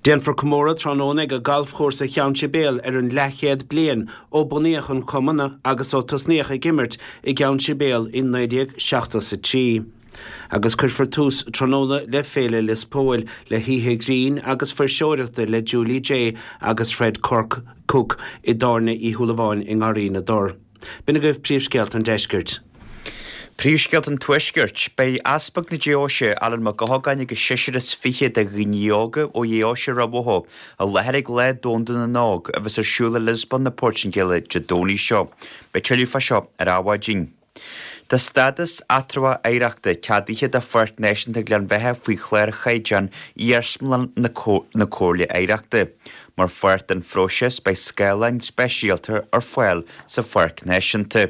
Déanfar comóradh tráthnóna ag Galfchúrsa Cheann Sibéal ar an leathchéad bliain ó bunaíodh an cumann agus ó tosnaíodh ag imirt i gCeann Sibéal i naoi déag seachtó is a trí. Agus cuirfear tús tráthnóna le Féile Lios Póil le hoíche ghrinn agus fuirseoireachta le Julie Jay agus Fred Cork Cooke i dTábhairne Uí Shúilleabháin i nGarraí na dTor. B'in agaibh príomhscéalta an deiscirt. Príomhscéalta an Tuaiscirt. Beidh Easpag na Deoise, Alan Mac Guthagáin agus seisear is fiche de dhaoine óga ó Dheoise Ráth Bhoth i láthair ag Lá Domhanda na nÓg a bheas ar siúl i Liospóin na Portaingéile Dé Domhnaigh seo. Beidh tuilleadh fá seo ar Adhmhaidin. Tá stádas eatramhach oidhreachta ceadaithe do Pháirc Náisiúnta Ghleann Bheatha faoi chlár chaighdeán Iarsmalann na Comhairle Oidhreachta. Mar pháirt den phróiseas beidh scáileáin speisialta ar fáil sa Pháirc Náisiúnta.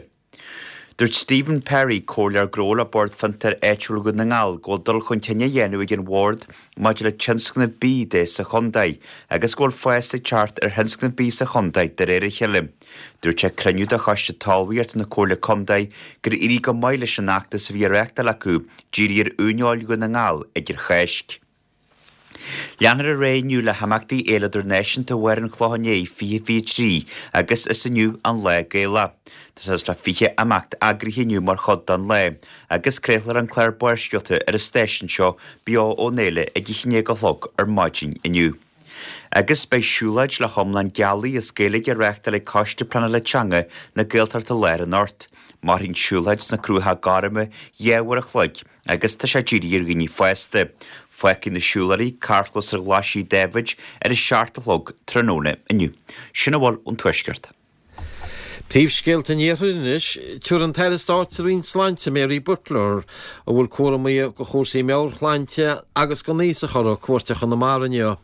Dúirt Stephen Perry, Comhairleoir Gnó le Bord Fiontair Áitiúil Dhún na nGall, go bhfuil dul chun cinn á dhéanamh ag an Bhord maidir le tionscnamh bídh de sa chontae agus go bhfuil fás ag teacht ar thionscnamh bídh sa chontae de réir a chéile. Dúirt sé ag cruinniú de Choiste Talmhaíochta na Comhairle Contae gur éirigh go maith leis an fheachtas a bhí á reáchtáil acu dírithe ar uaineoil Dhún na nGall idir Cháisc. Leanfar ar aghaidh inniu le himeachtaí Fhéile Idirnáisiúnta Bharr an Chlocháin Léith fiche fiche trí agus is inniu an Lá Gaelach. Tá suas le fiche imeacht eagraithe inniu mar chuid den lá agus craolfar an clár Barrscéalta ar an stáisiún seo beo ón fhéile ag a haon déag a chlog ar maidin inniu. Agus beidh siúlóid le hiomlán gealaí as Gaeilge á reáchtáil ag Coiste Pleanála Teanga na Gaeltachta Láir anocht. Mairfidh an tsiúlóid sna Cruacha Gorma dhá uair a chloig agus tá sé dírithe ar dhaoine fásta. Fágfaidh na siúlóirí carrchlós ar Ghlaisí Dáibhid ar a seacht a chlog tráthnóna inniu. Sin a bhfuil ón Tuaisceart. Príomhscéalta an Iarthair anois, Tabharfaidh an tAire Stáit sa Roinn Sláinte, Mary Butler, a bhfuil cúramaí do chúrsaí meabhairshláinte agus don aosach uirthi, cuairt ar Chonamara inniu.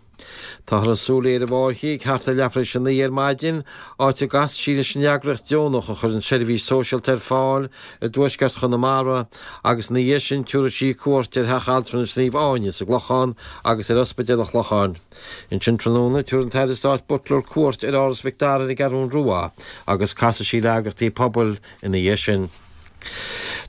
Táthar ag súil léi ar an bhFáirche ag thart ar leathuair tar éis a naoi ar maidin, áit a gcasfaidh sí leis an eagraíocht deonach a chuireann seirbhís sóisialta ar fáil i dtuaisceart Chonamara agus ina dhiaidh sin tabharfaidh sí cuairt ar Theach Altranais Naomh Áine sa gClochán agus ar Ospidéal an Chlocháin. Ansin tráthnóna, tabharfaidh an tAire Stáit Butler cuairt ar Áras Mhic Dara ar an gCeathrú Rua agus casfaidh sí le heagraíochtaí pobail ina dhiaidh sin.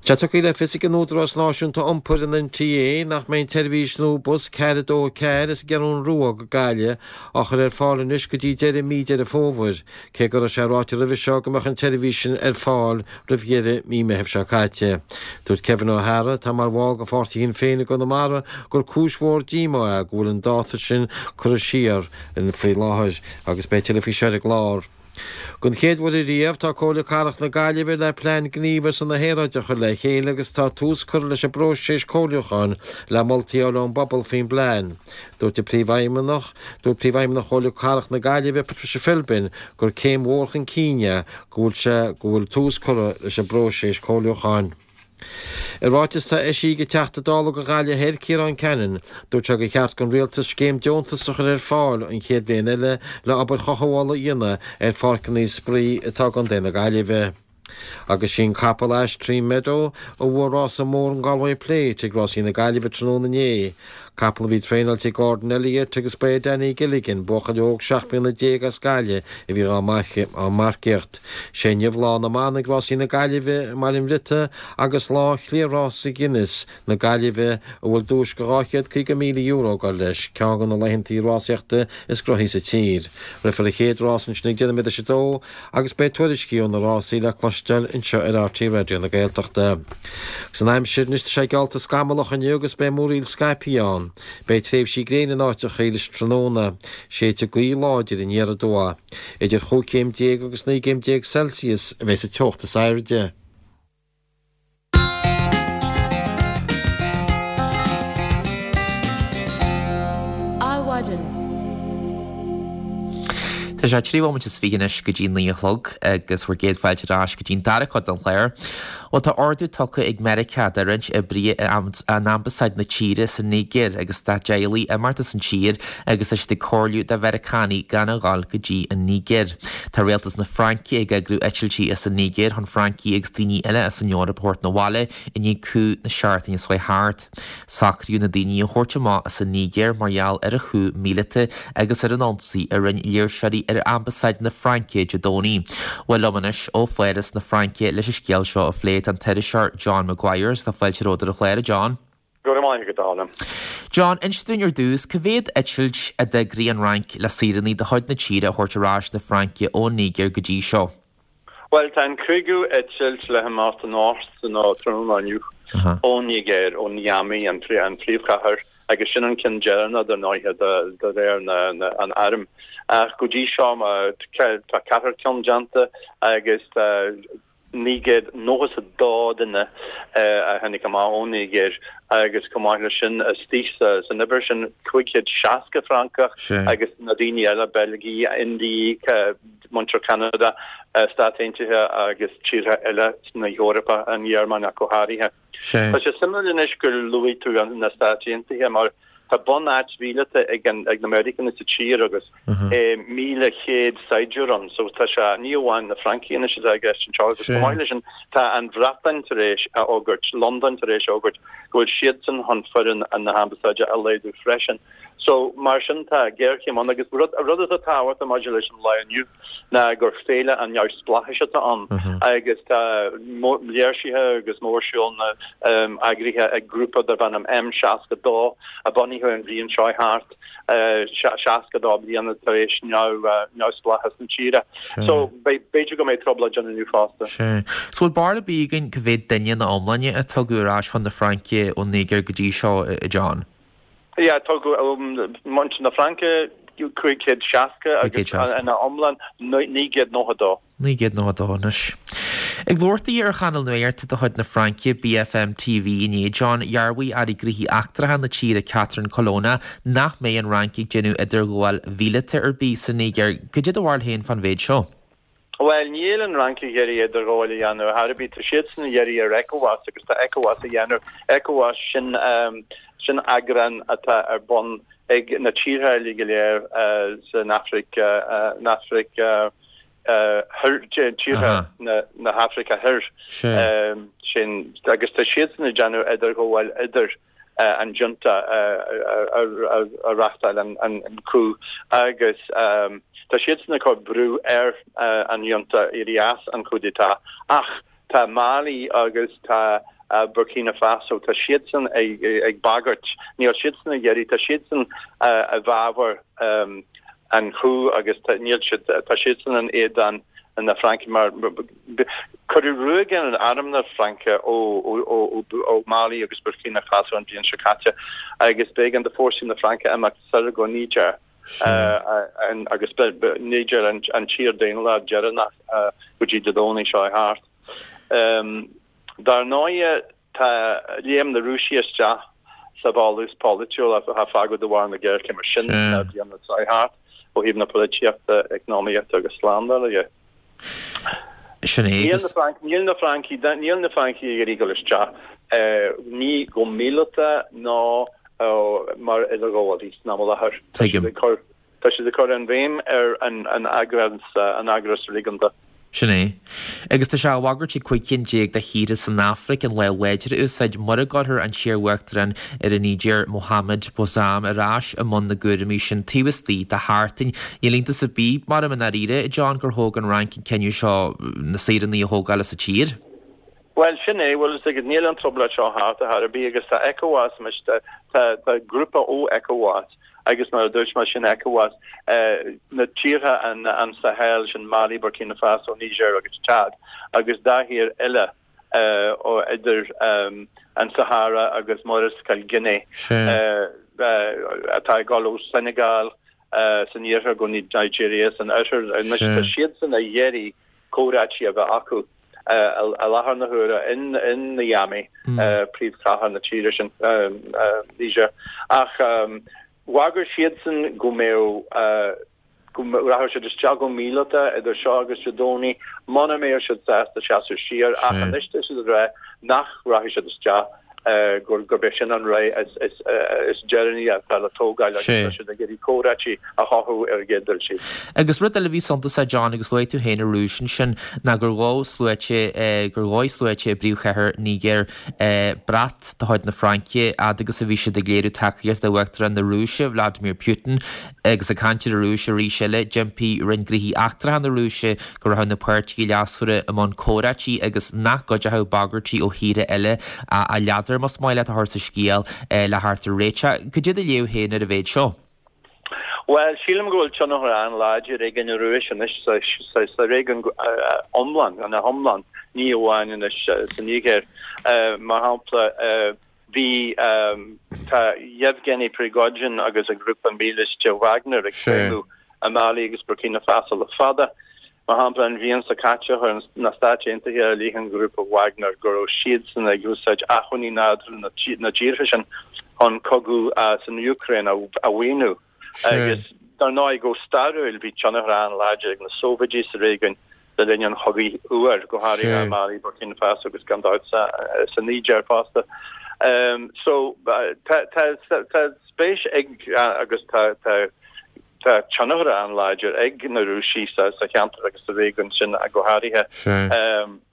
Tá tugtha le fios ag an Údarás Náisiúnta Iompair, an NTA, nach mbeidh an tseirbhís nua bus ceathair a dó a ceathair as an gCeathrú Rua go Gaillimh á chur ar fáil anois go dtí deireadh mí Deireadh Fómhair, cé go raibh sé ráite roimhe seo go mbeadh an tseirbhís sin ar fáil roimh dheireadh mí Meithimh seo caite. Dúirt Kevin O'Hara, atá mar bhall de pháirtí Shinn Féin i gConamara, gur cúis mhór díomá é go bhfuil an dáta sin curtha siar faoi láthair agus beidh tuilleadh faoi seo ar an gclár. Don chéad uair ariamh, tá Comhairle Cathrach na Gaillimhe le plean gnímh ar son na haeráide a chur le chéile agus tá tús curtha leis an bpróiseas comhairliúcháin le moltaí a fháil ón bpobal faoin bplean. Dúirt an Príomhfheidhmeannach, dúirt Príomhfheidhmeannach Chomhairle Cathrach na Gaillimhe, Patricia Philbin, gur céim mhór chun cinn é go bhfuil sé go bhfuil tús curtha leis an bpróiseas comhairliúcháin. I ráiteas atá eisithe ag an Teachta Dála do Ghaillimh Thoir, Ciarán Cannon, dúirt sé gur cheart don Rialtas scéim deontas a chur ar fáil an chéad bhliain eile le obair chothabhála a dhéanamh ar pháirceanna spraoi atá i gContae na Gaillimhe. Agus sin capall Ash Tree Meadow a bhuaigh rása mór an Galway Plate ag Rásaí na Gaillimhe tráthnóna inné. Capall a bhí traenáilte ag Gordon Elliott agus ba é Danny Gilligan, buachaill óg seacht mbliana déag as Gaillimh a bhí á marcaíocht. Sé inniu Lá na mBan ag Rásaí na Gaillimhe i mBaile an Bhriotaigh agus lá Chliath-Rása Guinness na Gaillimhe a bhfuil duais de dhá chéad caoga míle euro ag dul leis, ceann de na laethanta rásaíochta is gnóthaí sa tír. Rithfear an chéad rás ansin ag deich nóiméad tar éis a dó agus beidh tuairiscí ó na rásaí le cloisteáil anseo ar RTÉ Raidió na Gaeltachta. Agus an aimsir anois tá sé geallta scamallach inniu agus beidh múraíl scaipthe ann. Beidh tréimhsí gréine in áiteacha leis an tráthnóna. Séidfidh gaoth láidir aniar aduaidh. Idir chúig chéim déag agus naoi gcéim déag Celsius a bheidh sa teocht is airde. Adhmhaidin. Tá sé trí bhomaite is fiche anois go dtí naoi a chlog agus bhur gcéad fáilte ar ais go dtí'n dara cuid den chlár. Bhuel tá ordú tugtha ag Meiriceá do roinnt oibrithe in ambasáid na tíre sa Nigéir agus dá dteaghlaigh imeacht as an tír agus tá siad ag comhairliú do Mheiriceánaigh gan a dhul go dtí an Nigéir. Tá rialtas na Fraince ag eagrú eitiltí as an Nigéir chun Francaigh agus daoine eile as an Eoraip a thabhairt 'na bhaile i ndiaidh coup na seachtaine seo thart. Socraíodh na daoine a thabhairt amach as an Nigéir mar gheall ar an coup míleata agus ar an ionsaí a rinne léirseoirí ar ambasáid na Fraince Dé Domhnaigh. Bhuel liom anois ó Pháras na Fraince leis an scéal seo a phlé tá an t-iriseoir John Maguire tá fáilte romhat ar an chlár, a John. Go raibh maith agat, a Alan. John, inis dúinn ar dtús, cá mhéad eitilt a d'eagraigh an Fhrainc le saoránaigh de chuid na tíre a thabhairt ar ais na Fraince ón Nigéir go dtí seo? Bhuel, tá an cúigiú eitilt le himeacht anocht nó tráthnóna inniu ón Nigéir, ó Niamey, an phríomhchathair, agus sin an ceann deireanach dar ndóighe de réir an airm. Ach go dtí seo tá ceathair ceann déanta agus tá naoi gcéad nócha is a dó duine a tháinig amach ón Nigéir agus chomh maith leis sin istigh san uimhir sin cúig chéad seasca Francach agus na daoine eile, Beilgigh, Indiaigh, muintir Cheanada, Stáit Aontaithe agus tíortha eile na hEorpa, an Ghearmáin ach go háirithe. Tá sé suimiúil anois gur luaigh tú na Stáit Aontaithe mar Tá bunáit mhíleata ag an ag na Meiriceánaigh sa tír agus míle céad saighdiúir ann so tá sé ní amháin na Francaigh anois atá i gceist anseo agus chomh maith leis sin tá an Bhreatain tar éis a fhógairt, Londain tar éis a fhógairt go bhfuil siadsan chun foireann na hambasáide a laghdú freisin. So mar sin tá géarchéim ann agus rud rud atá tábhachtach maidir leis an lá inniu ná gur féile an neamhspleáchais atá ann agus tá léirsithe agus mórshiúlanna eagraithe ag grúpa darb ainm M seasca dó a bunaíodh an bhliain seo thart, seasca dó bliana tar éis neamhspleáchas na tíre. So b'fhéidir go mbeidh trioblóid ann inniu fosta. Sea. So bhfuil barúil ar bith againn cá mhéad duine ina iomláine a tugadh ar ais chun na Fraince ón Nigéir go dtí seo, a John? Yeah, tugadh ó muintir na Fraince cúig chéad seasca agus ina iomlán naoi gcéad nócha dó. Naoi gcéad nócha dó anois. Ag labhairt di ar chainéal nuachta de chuid na Fraince, B F M T V inné, John, dhearbhaigh Aire Gnóthaí Eachtracha na tíre Catherine Colonna nach mbeidh an Fhrainc ag déanamh idirghabháil mhíleata ar bith sa Nigéir. Cad é do bharúil féin fán mhéid seo? Bhuel, níl an Fhrainc ag iarraidh idirghabháil a dhéanamh ar bith. Tá siadsan ag iarraidh ar ECOWAS agus tá ECOWAS a dhéanamh. ECOWAS, sin, sin eagrán atá ar bun ag na tíortha uilig go léir san Afraic, an Afraic Thoir, tíortha na hAfraice Thoir. Sin, agus tá siadsan ag déanamh idirghabháil idir an junta a reáchtáil an coup agus tá siadsan ag cur brú ar an junta éirí as an coup d'état ach tá Mali agus tá Burkina Faso, tá siadsan ag bagairt, níl siadsan ag iarraidh, tá siadsan i bhfabhar an coup agus níl siad, tá siadsan in éadan na Fraince mar cuireadh ruaig ar arm na Fraince ó Mali agus Burkina Faso an bhliain seo caite agus b'éigean do fórsaí na Fraince imeacht soir go Niger agus Niger an tír daonlathach deireanach go dtí Dé Domhnaigh seo thart. Dar ndóigh tá léim na Rúisigh isteach sa bhfolús polaitiúil a fágadh de bharr na géarchéime sin na bliana seo thart ó thaobh na polaitíochta, eacnamaíochta agus slándála dhe. Sin é agus. Níl na Francaigh, níl na Francaigh ag iarraidh dul isteach, ní go míleata ná mar idirghabhálaí san am i láthair. Tá siad ag cur, tá siad ag cur an bhéim ar an eagras, an eagras réigiúnda. Sin é. Agus tá sé á bhagairt ag cúig cinn déag de thíortha san Afraic an lámh láidir a úsáid mura gcuirfear an t-iar-uachtarán ar an Nigéir, Mohamed Bazoum, ar ais i mbun na gcúraimí sin taobh istigh de sheachtain. Níl iontas ar bith, mar i ndáiríre, a John, gur thóg an Fhrainc an cinneadh seo na saoránaigh a thógáil as an tír. Bhuel, sin é, bhfuil fhios agat, níl an trioblóid seo thart ar chor ar bith agus tá ECOWAS, tá grúpa ó ECOWAS, Agus mar a dúirt mé, sin ECOWAS, na tíortha an Sahel, sin Mali, Burkina Faso, Niger agus Chad, agus dhá thír eile idir an Sahara agus Murascaill Guinea, atá ag dul ó Senegal san iarthar go Nigeria san oirthear. Anois tá siadsan ag iarraidh comhráití a bheith acu i láthair na huaire in Niamey, príomhchathair na tíre sin, Niger. Ach bhagair siadsan go mbeadh, go rachadh siad isteach go míleata idir seo agus Dé Domhnaigh muna mbeadh siad sásta seasamh siar, ach anois tá siad ag rá nach rachaidh siad isteach. gurb é sin an rogha is deireanaí atá le tógáil agus tá siad ag iarraidh comhráití a chothú ar an gcéad dul síos. Agus rud eile a bhí suntasach, John, agus luaigh tú féin an Rúis ansin, ná gur dhóigh sluaite, gur dhóigh sluaite i bpríomhchathair Nígir brat de chuid na Fraince fhad agus a bhí siad ag léiriú tacaíochta d'Uachtarán na Rúise, Vladimir Putin. Agus ag caint ar an Rúis arís eile, d'impigh Roinn Gnóthaí Eachtracha na Rúise go rachadh na páirtithe leasmhara i mbun comhráití agus nach gcuideochadh bagairtí ó thíortha eile a ladar, más maith leat a chur sa scéal, le theacht ar réiteach. Cad é do léamh féin ar an mhéid seo? Bhuel, sílim go bhfuil tionchar an-láidir ag an Rúis anois sa réigiún iomlán, ina hiomlán, ní amháin anois sa Nigéir. Mar shampla, Bhí, tá Yevgeny Prigozhin agus a ghrúpa mílíste Wagner ag feidhmiú i Mali agus Burkina Faso le fada. Mar shampla, an bhliain seo caite chuir na Stáit Aontaithe i leith an ghrúpa Wagner go raibh siadsan ag úsáid acmhainní nádúrtha na dtíortha sin chun cogadh san Úcráin a mhaoiniú. Agus dar ndóigh, go stairiúil, bhí tionchar an-láidir ag na Sóivéidí sa réigiún le linn an Chogaidh Fhuair, go háirithe i Mali, Burkina Faso agus gan dabht sa Nigéir fosta. So tá tá spéis ag agus tá tá tá tionchar an-láidir ag na Rúisigh sa sa cheantar agus sa réigiún sin go háirithe.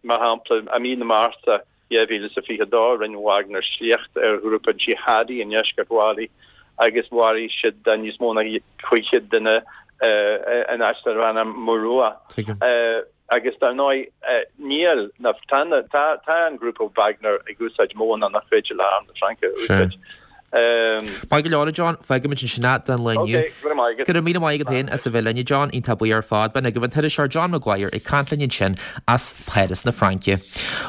Mar shampla, i mí na Márta dhá mhíle is a fiche dó, rinne Wagner sliocht ar ghrúpa jihadi i ndeisceart Mhailí agus mharaigh siad níos mó ná cúig chéad duine in áit darb ainm Murua. Agus dar ndóigh, níl, tá tá an grúpa Wagner ag úsáid modhanna nach féidir le arm na Fraince a úsáid. Maith go leor, a John, fágfaimid ansin é don lá inniu. Ok, go raibh maith agat. Go raibh míle maith agat féin as a bheith linn, a John. Iontach buí ar fad. B'in agaibh an t-iriseoir John Maguire ag caint linn ansin as Páras na Fraince.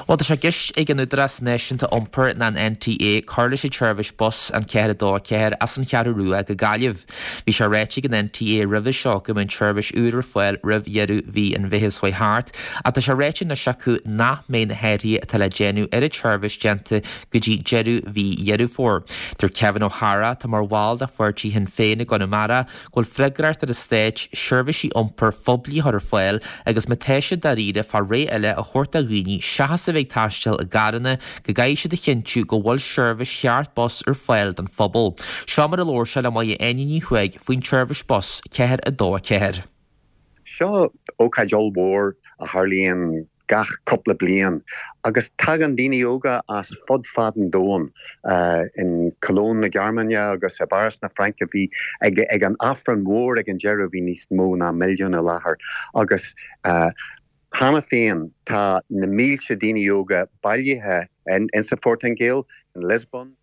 Bhuel, tá sé i gceist ag an Údarás Náisiúnta Iompair ná an NTA cur leis an tseirbhís bus an ceathair a dó a ceathair as an Cheathrú Rua go Gaillimh. Bhí sé ráite ag an NTA roimhe seo go mbeadh an tseirbhís úr ar fáil roimh dheireadh mhí an Mheithimh seo thart ach tá sé ráite anois acu nach mbeidh na hathruithe atá le déanamh ar an tseirbhís déanta go dtí deireadh mhí Dheireadh Fómhair. Deir Kevin O'Hara, atá mar bhall de pháirtí Shinn Féin i gConamara, go bhfuil freagracht ar an Stát seirbhísí iompair phoiblí a chur ar fáil agus má tá siad dáiríre fá ré eile a thabhairt do dhaoine seachas a bheith ag taisteal i gcarranna go gcaithfidh siad a chinntiú go bhfuil seirbhís cheart bus ar fáil don phobal. Seo mar a labhair sé le Máire Áine Ní Chuaig faoin tseirbhís bus ceathair a dó a ceathair. Seo ócáid ollmhór a tharlaíonn gach cúpla bliain agus tagann daoine óga as fud fad an domhain. In Cologne na Gearmáine agus i bPáras na Fraince bhí ag ag an Aifreann mhór ag an deireadh bhí níos mó ná milliún i láthair agus cheana féin tá na mílte daoine óga bailithe in sa Phortaingéil, in Lisbon.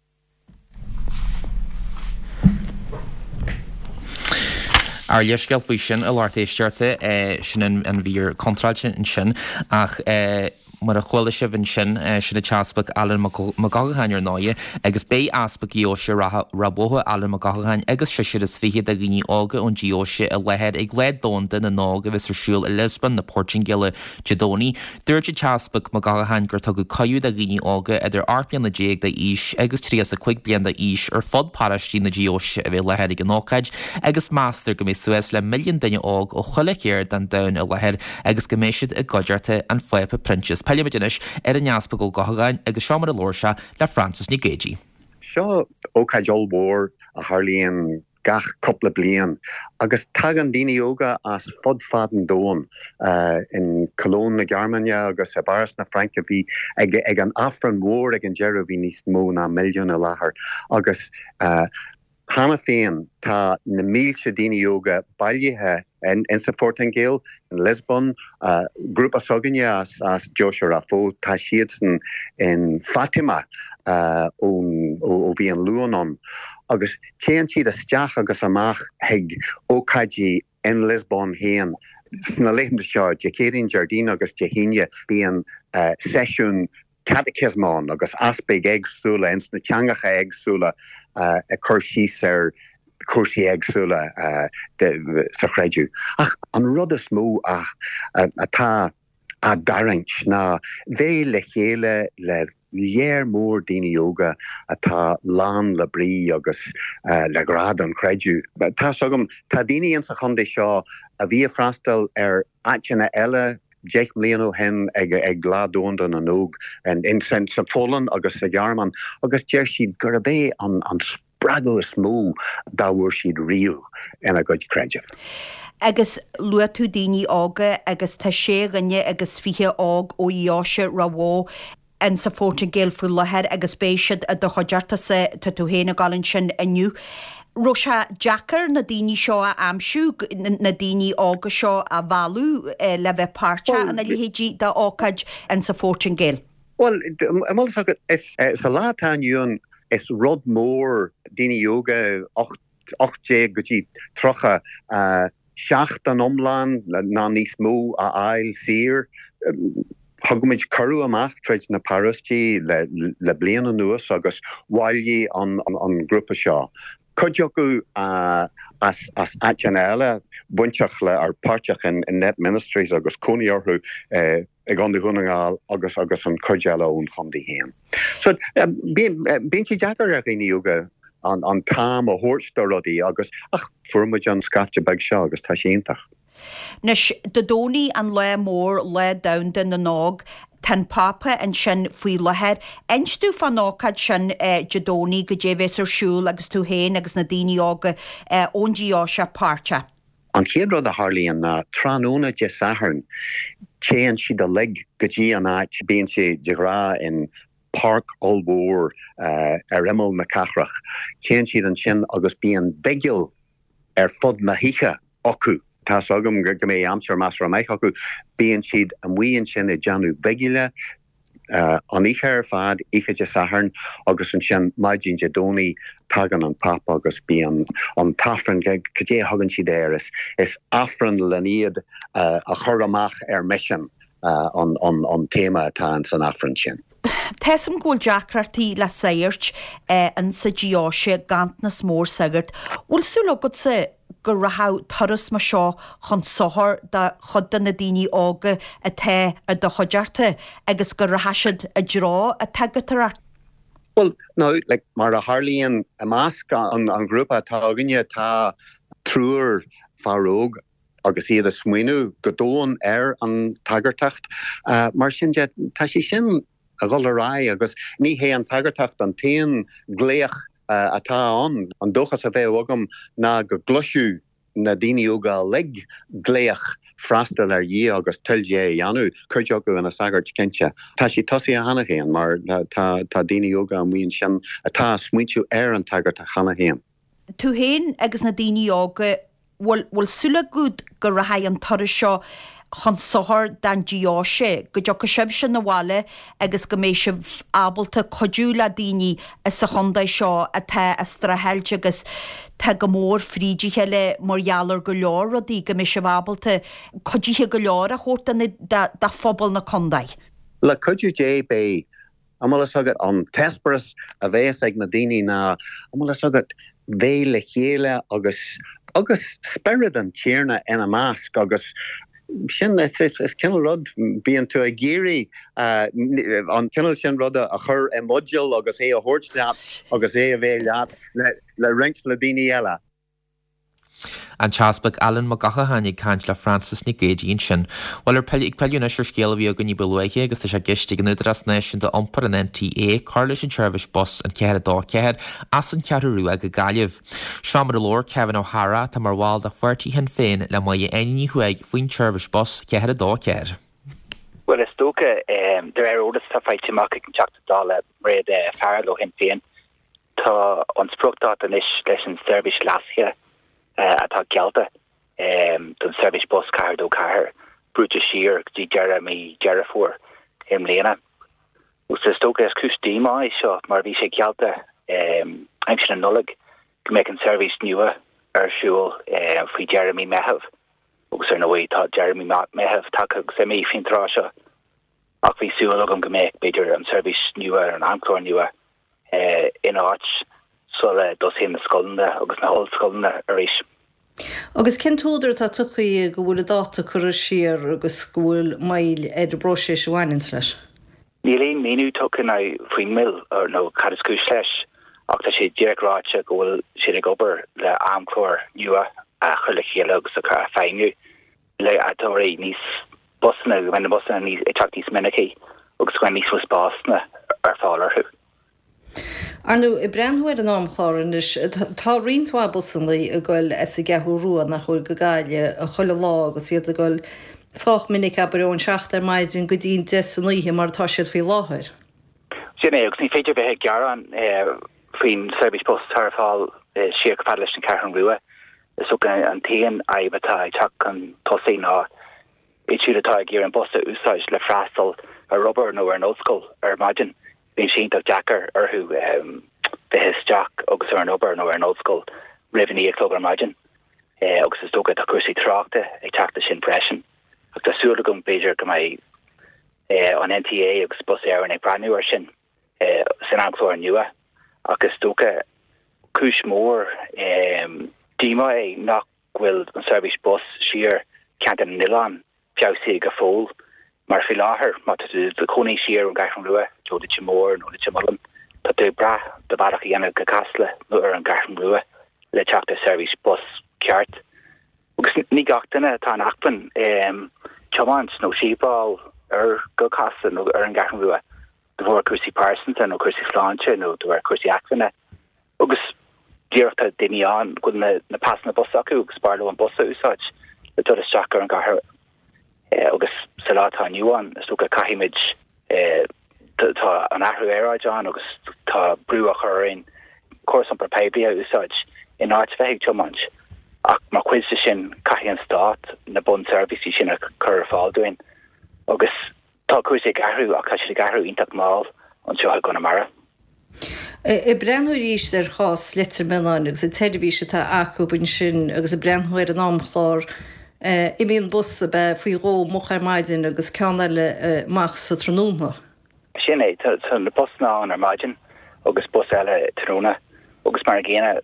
Ár leithscéal faoi sin, a lucht éisteachta, sin an mhír contráilte ansin ach mar a chuala sibh ansin, sin an tEaspag Alan Mac Gallcháin ar ndóighe agus beidh Easpag Dheoise Ráth Bhoth, Alan Mac Gallcháin agus seisear is fiche de dhaoine óga ón deoise i láthair ag Lá Domhanda na nÓg a bheas ar siúl i Lisbon na Portaingéile Dé Domhnaigh. Dúirt an tEaspag Mac Gallcháin gur tugadh cuireadh do dhaoine óga idir ocht mbliana déag d'aois agus tríocha is a cúig bliain d'aois ar fud paróistí na deoise a bheith i láthair ag an ócáid agus meastar go mbeidh suas le milliún duine óg ó chuile cheird den domhan i láthair agus go mbeidh siad i gcuideachta an Phápa Proinsias. Pillfimid anois ar an Easpag Ó Gallchóir agus seo mar a labhair sé le Frances Nic Géadaigh. Seo ócáid ollmhór a tharlaíonn gach cúpla bliain agus tagann daoine óga as fud fad an domhain. In Cologne na Gearmáine agus i bPáras na Fraince bhí ag ag an Aifreann mhór ag an deireadh bhí níos mó ná milliún i láthair agus cheana féin tá na mílte daoine óga bailithe in sa Phortaingéil, in Lisbon, grúpa s'againne as as Deoise Ráth Bhoth, tá siadsan in Fatima ón ó bhí an Luan ann. Agus téann siad isteach agus amach chuig ócáidí in Lisbon féin. Sna laethanta seo, Dé Céadaoin, Déardaoin agus Dé hAoine, bíonn seisiún caiticiosm ann agus easpaig éagsúla ins na teangacha éagsúla ag cur síos ar chúrsaí éagsúla sa chreideamh. Ach an rud is mó atá á dtarraingt ná bheith le chéile le léar mór daoine óga atá lán le brí agus le grá don chreideamh. Tá's agam, tá daoine insa chontae seo a bhí ag freastal ar áiteanna eile deich mbliana ó shin ag Lá Domhanda na nÓg sa Pholainn agus sa Ghearmáin agus deir siad gurb é an spreagadh is mó dá bhfuair siad riamh ina gcuid creidimh. Agus luaigh tú daoine óga agus tá sé dhuine agus fiche óg ó Dheoise Ráth Bhoth in sa Phortaingéil faoi láthair agus beidh siad i do chuideachta-sa, tá tú féin ag dul ansin inniu. Raibh sé deacair na daoine seo a aimsiú, na daoine óga seo a mhealladh le bheith páirteach ina leithéidí d'ócáid in sa Phortaingéil? Bhuel, an bhfuil fhios agat, is sa lá atá inniu ann, is rud mór daoine óga ocht déag go dtí tríocha, seachtain iomlán nó níos mó a fháil saor. Thug muid cuireadh amach tríd na paróistí le bliain anuas agus bhailigh an grúpa seo. Cuid acu as áiteanna eile, bainteach le or páirteach in Net Ministries agus cónaí orthu i gContae Dhún na nGall agus agus an chuid eile ón chontae féin. So bíonn bíonn sé deacair ar dhaoine óga an an t-am a thabhairt do rudaí agus ach fuair muid an scaifte beag seo agus tá sé iontach. Anois, Dé Domhnaigh an lá mór, Lá Domhanda na nÓg. Tá an Pápa ansin faoi láthair. Inis dúinn fán ócáid sin Dé Domhnaigh, goidé a bheas ar siúl agus tú féin agus na daoine óga ón deoise páirteach. An chéad rud a tharlaíonn ná tráthnóna Dé Sathairn, téann siad uilig go dtí an áit, bíonn sé de ghnáth in páirc ollmhór ar imeall na cathrach, téann siad ansin agus bíonn bigil ar fud na hoíche acu. Tá's agam go mbeidh aimsir measartha maith acu. Bíonn siad amuigh ansin ag déanamh bigile an oíche ar fad, oíche Dé Sathairn, agus ansin maidin Dé Domhnaigh tagann an Pápa agus bíonn an t-aifreann, cad é a thugann siad air, is aifreann len iad a chur amach ar misean an téama atá ins an aifreann sin. Tá's a'm go bhfuil deacrachtaí le sagairt insa deoise, ganntanas mór sagart. Bhfuil súil agatsa go rachadh turas mar seo chun sochair do chuid de na daoine óga atá i do chuideachta agus go rachaidh siad i dtreo an tsagartóireacht? Bhuel, now, like, mar a tharlaíonn i measc an ghrúpa atá againne, tá triúr fear óg agus iad ag smaoineamh go domhain ar an tsagartacht. Mar sin de, tá sé sin a dhul ar aghaidh agus ní hé an tsagartacht an t-aon ghlaoch atá ann. An dóchas a bheadh agam ná go gcloisfeadh na daoine óga uilig glaoch freastal ar Dhia agus toil Dé a dhéanamh, cuid acu ina sagairt cinnte. Tá sé tosaithe cheana féin mar tá daoine óga amuigh ansin atá ag smaointiú ar an tsagartacht cheana féin. Tú féin agus na daoine óga Bhfuil, bhfuil súil agat go rachaidh an turas seo chun sochair don deoise, go dtiocfaidh sibhse 'na bhaile agus go mbeidh sibh ábalta cuidiú le daoine sa chontae seo atá ag streachailt agus tá go mór fríd a chéile mar gheall ar go leor rudaí, go mbeidh sibh ábalta cuidithe go leor a thabhairt do na, do, do phobal na contae? Le cuidiú Dé beidh. An bhfuil fhios agat, an t-eispéireas a bheas ag na daoine ná, an bhfuil fhios agat, bheith le chéile agus, agus spiorad an Tiarna ina measc agus sin, is, is, is cineál rud, bíonn tú ag iarraidh an cineál sin ruda a chur i mbuidéal agus é a thabhairt leat agus é a bheith leat le, le roinnt le daoine eile. An tEaspag Alan Mac Gallchobhair ag caint le Frances Nic Géadaigh ansin. Bhuel, ar ag pilleadh anois ar scéal a bhí againn ní ba luaithe agus tá sé i gceist ag an Údarás Náisiúnta Iompair, an NTA, cur leis an tseirbhís bus an ceathair a dó ceathair as an Cheathrú Rua go Gaillimh. Seo mar a labhair Kevin Ó hEadhra, atá mar bhall de pháirtí Shinn Féin, le Máire Áine Ní Chuaig faoin tseirbhís bus ceathair a dó ceathair. Bhuel, is dócha, de réir eolas atá faighte amach ag an Teachta Dála Mairéad Farrell ó Shinn Féin, tá an spriocdháta anois leis an tseirbhís leasaithe atá geallta don seirbhís bus ceathair dó ceathair brúite siar go dtí deireadh mí Deireadh Fómhair i mbliana. Agus is dócha is cúis díomá é seo mar bhí sé geallta aimsir na Nollag go mbeadh an seirbhís nua ar siúl faoi dheireadh mí Meitheamh agus ar ndóigh tá deireadh mí Meitheamh tagtha agus imithe faoin tráth seo ach bhí súil agam go mbeadh b'fhéidir an seirbhís nua ar an amchlár nua in áit sula dtosaíonn na scoileanna agus na hollscoileanna arís. Agus cén t-údar atá tugtha go bhfuil an dáta curtha siar agus go bhfuil moill ar an bpróiseas a bhaineanns leis? Níl aon mhíniú tugtha ná faoin moill nó cad is cúis leis ach tá sé díreach ráite go bhfuil siad ag obair le amchlár nua a chur le chéile agus a chur a feidhmiú le a tabharfaidh níos busanna, go mbeidh na busanna níos ag teacht níos minicí agus go mbeidh níos mó spásanna ar fáil orthu. Ar ndóigh, ag breathnú ar an amchlár anois, tá roinnt mhaith busanna ag goil as an gCeathrú Rua nach bhfuil go Gaillimh chuile lá agus iad ag goil sách minic, abair, ón seacht ar maidin go dtí an deich san oíche mar atá siad faoi láthair. Sin é, agus ní féidir bheith ag gearán faoin seirbhís bus atá ar fáil siar chomh fada leis an Cheathrú Rua. Is dócha an t-aon fhadhb atá ag teacht chun tosaigh ná iad siúd atá ag iarraidh an bus a úsáid le freastal ar obair nó ar an ollscoil ar maidin. Bíonn sé iontach deacair orthu bheith isteach agus ar an obair nó ar an ollscoil roimh a naoi a chlog ar maidin agus is dócha tá cúrsaí tráchta ag teacht leis sin freisin. Ach tá súil agam b'fhéidir go mbeidh an NTA agus Bus Éireann ag breathnú air sin san amchlár nua ach is dócha cúis mhór díomá é nach bhfuil an seirbhís bus siar Ceantar na nOileán feabhsaithe go fóill mar faoi láthair má tá tú i do chónaí siar ón gCeathrú Rua, i dtreo Leitir Móir nó Leitir Mealláin, tá tú ag brath do bhealach a dhéanamh go Casla nó ar an gCeathrú Rua le teacht ar seirbhís bus ceart. Agus ní gach duine atá in acmhainn tiomáint nó síobáil ar go Casla nó ar an gCeathrú Rua de bharr cúrsaí pearsanta nó cúrsaí sláinte nó de bharr cúrsaí acmhainne agus díreach tá daoine ann go bhfuil na pasanna bus acu agus b'fhearr leo an bus a úsáid le dul isteach ar an gcathair agus sa lá atá inniu ann is dócha caithfimid tá an athrú aeráide ann agus tá brú á chur orainn córas iompair poiblí a úsáid in áit bheith ag tiomáint ach mar chuid de sin caithfidh an stát na bunseirbhísí sin a chur ar fáil dúinn agus Tá cúrsaí ag athrú ach tá siad ag athrú iontach mall anseo i gConamara. Ag breathnú arís ar chás Leitir Mealláin agus an tseirbhís atá acu ansin agus ag breathnú ar an amchlár, imíonn bus ab ea faoi dhó moch ar maidin agus ceann eile amach sa tráthnóna. Sin é, tá na busanna ann ar maidin agus bus eile tráthnóna agus mar an gcéanna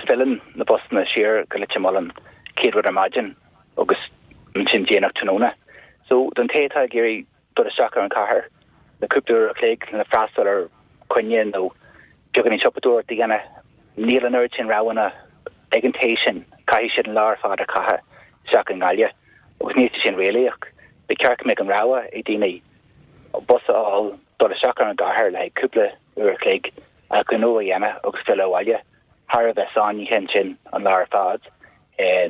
filleann na busanna siar go Leitir Mealláin céad rud ar maidin agus ansin déanach tráthnóna. So don té atá ag iarraidh dul isteach ar an chathair le cúpla uair a chloig le freastal ar choinne nó beagáinín siopadóireacht a dhéanamh, níl an oiread sin roghanna ag an té sin, caithfidh siad an lá ar fad a chaitheamh isteach i nGaillimh agus níl sé sin réalaíoch. Ba cheart go mbeadh an rogha ag daoine bus a fháil, dul isteach ar an gcathair le haghaidh cúpla uair a chloig, a ngnó a dhéanamh agus filleadh abhaile thar a bheith sáinnithe ansin an lá ar fad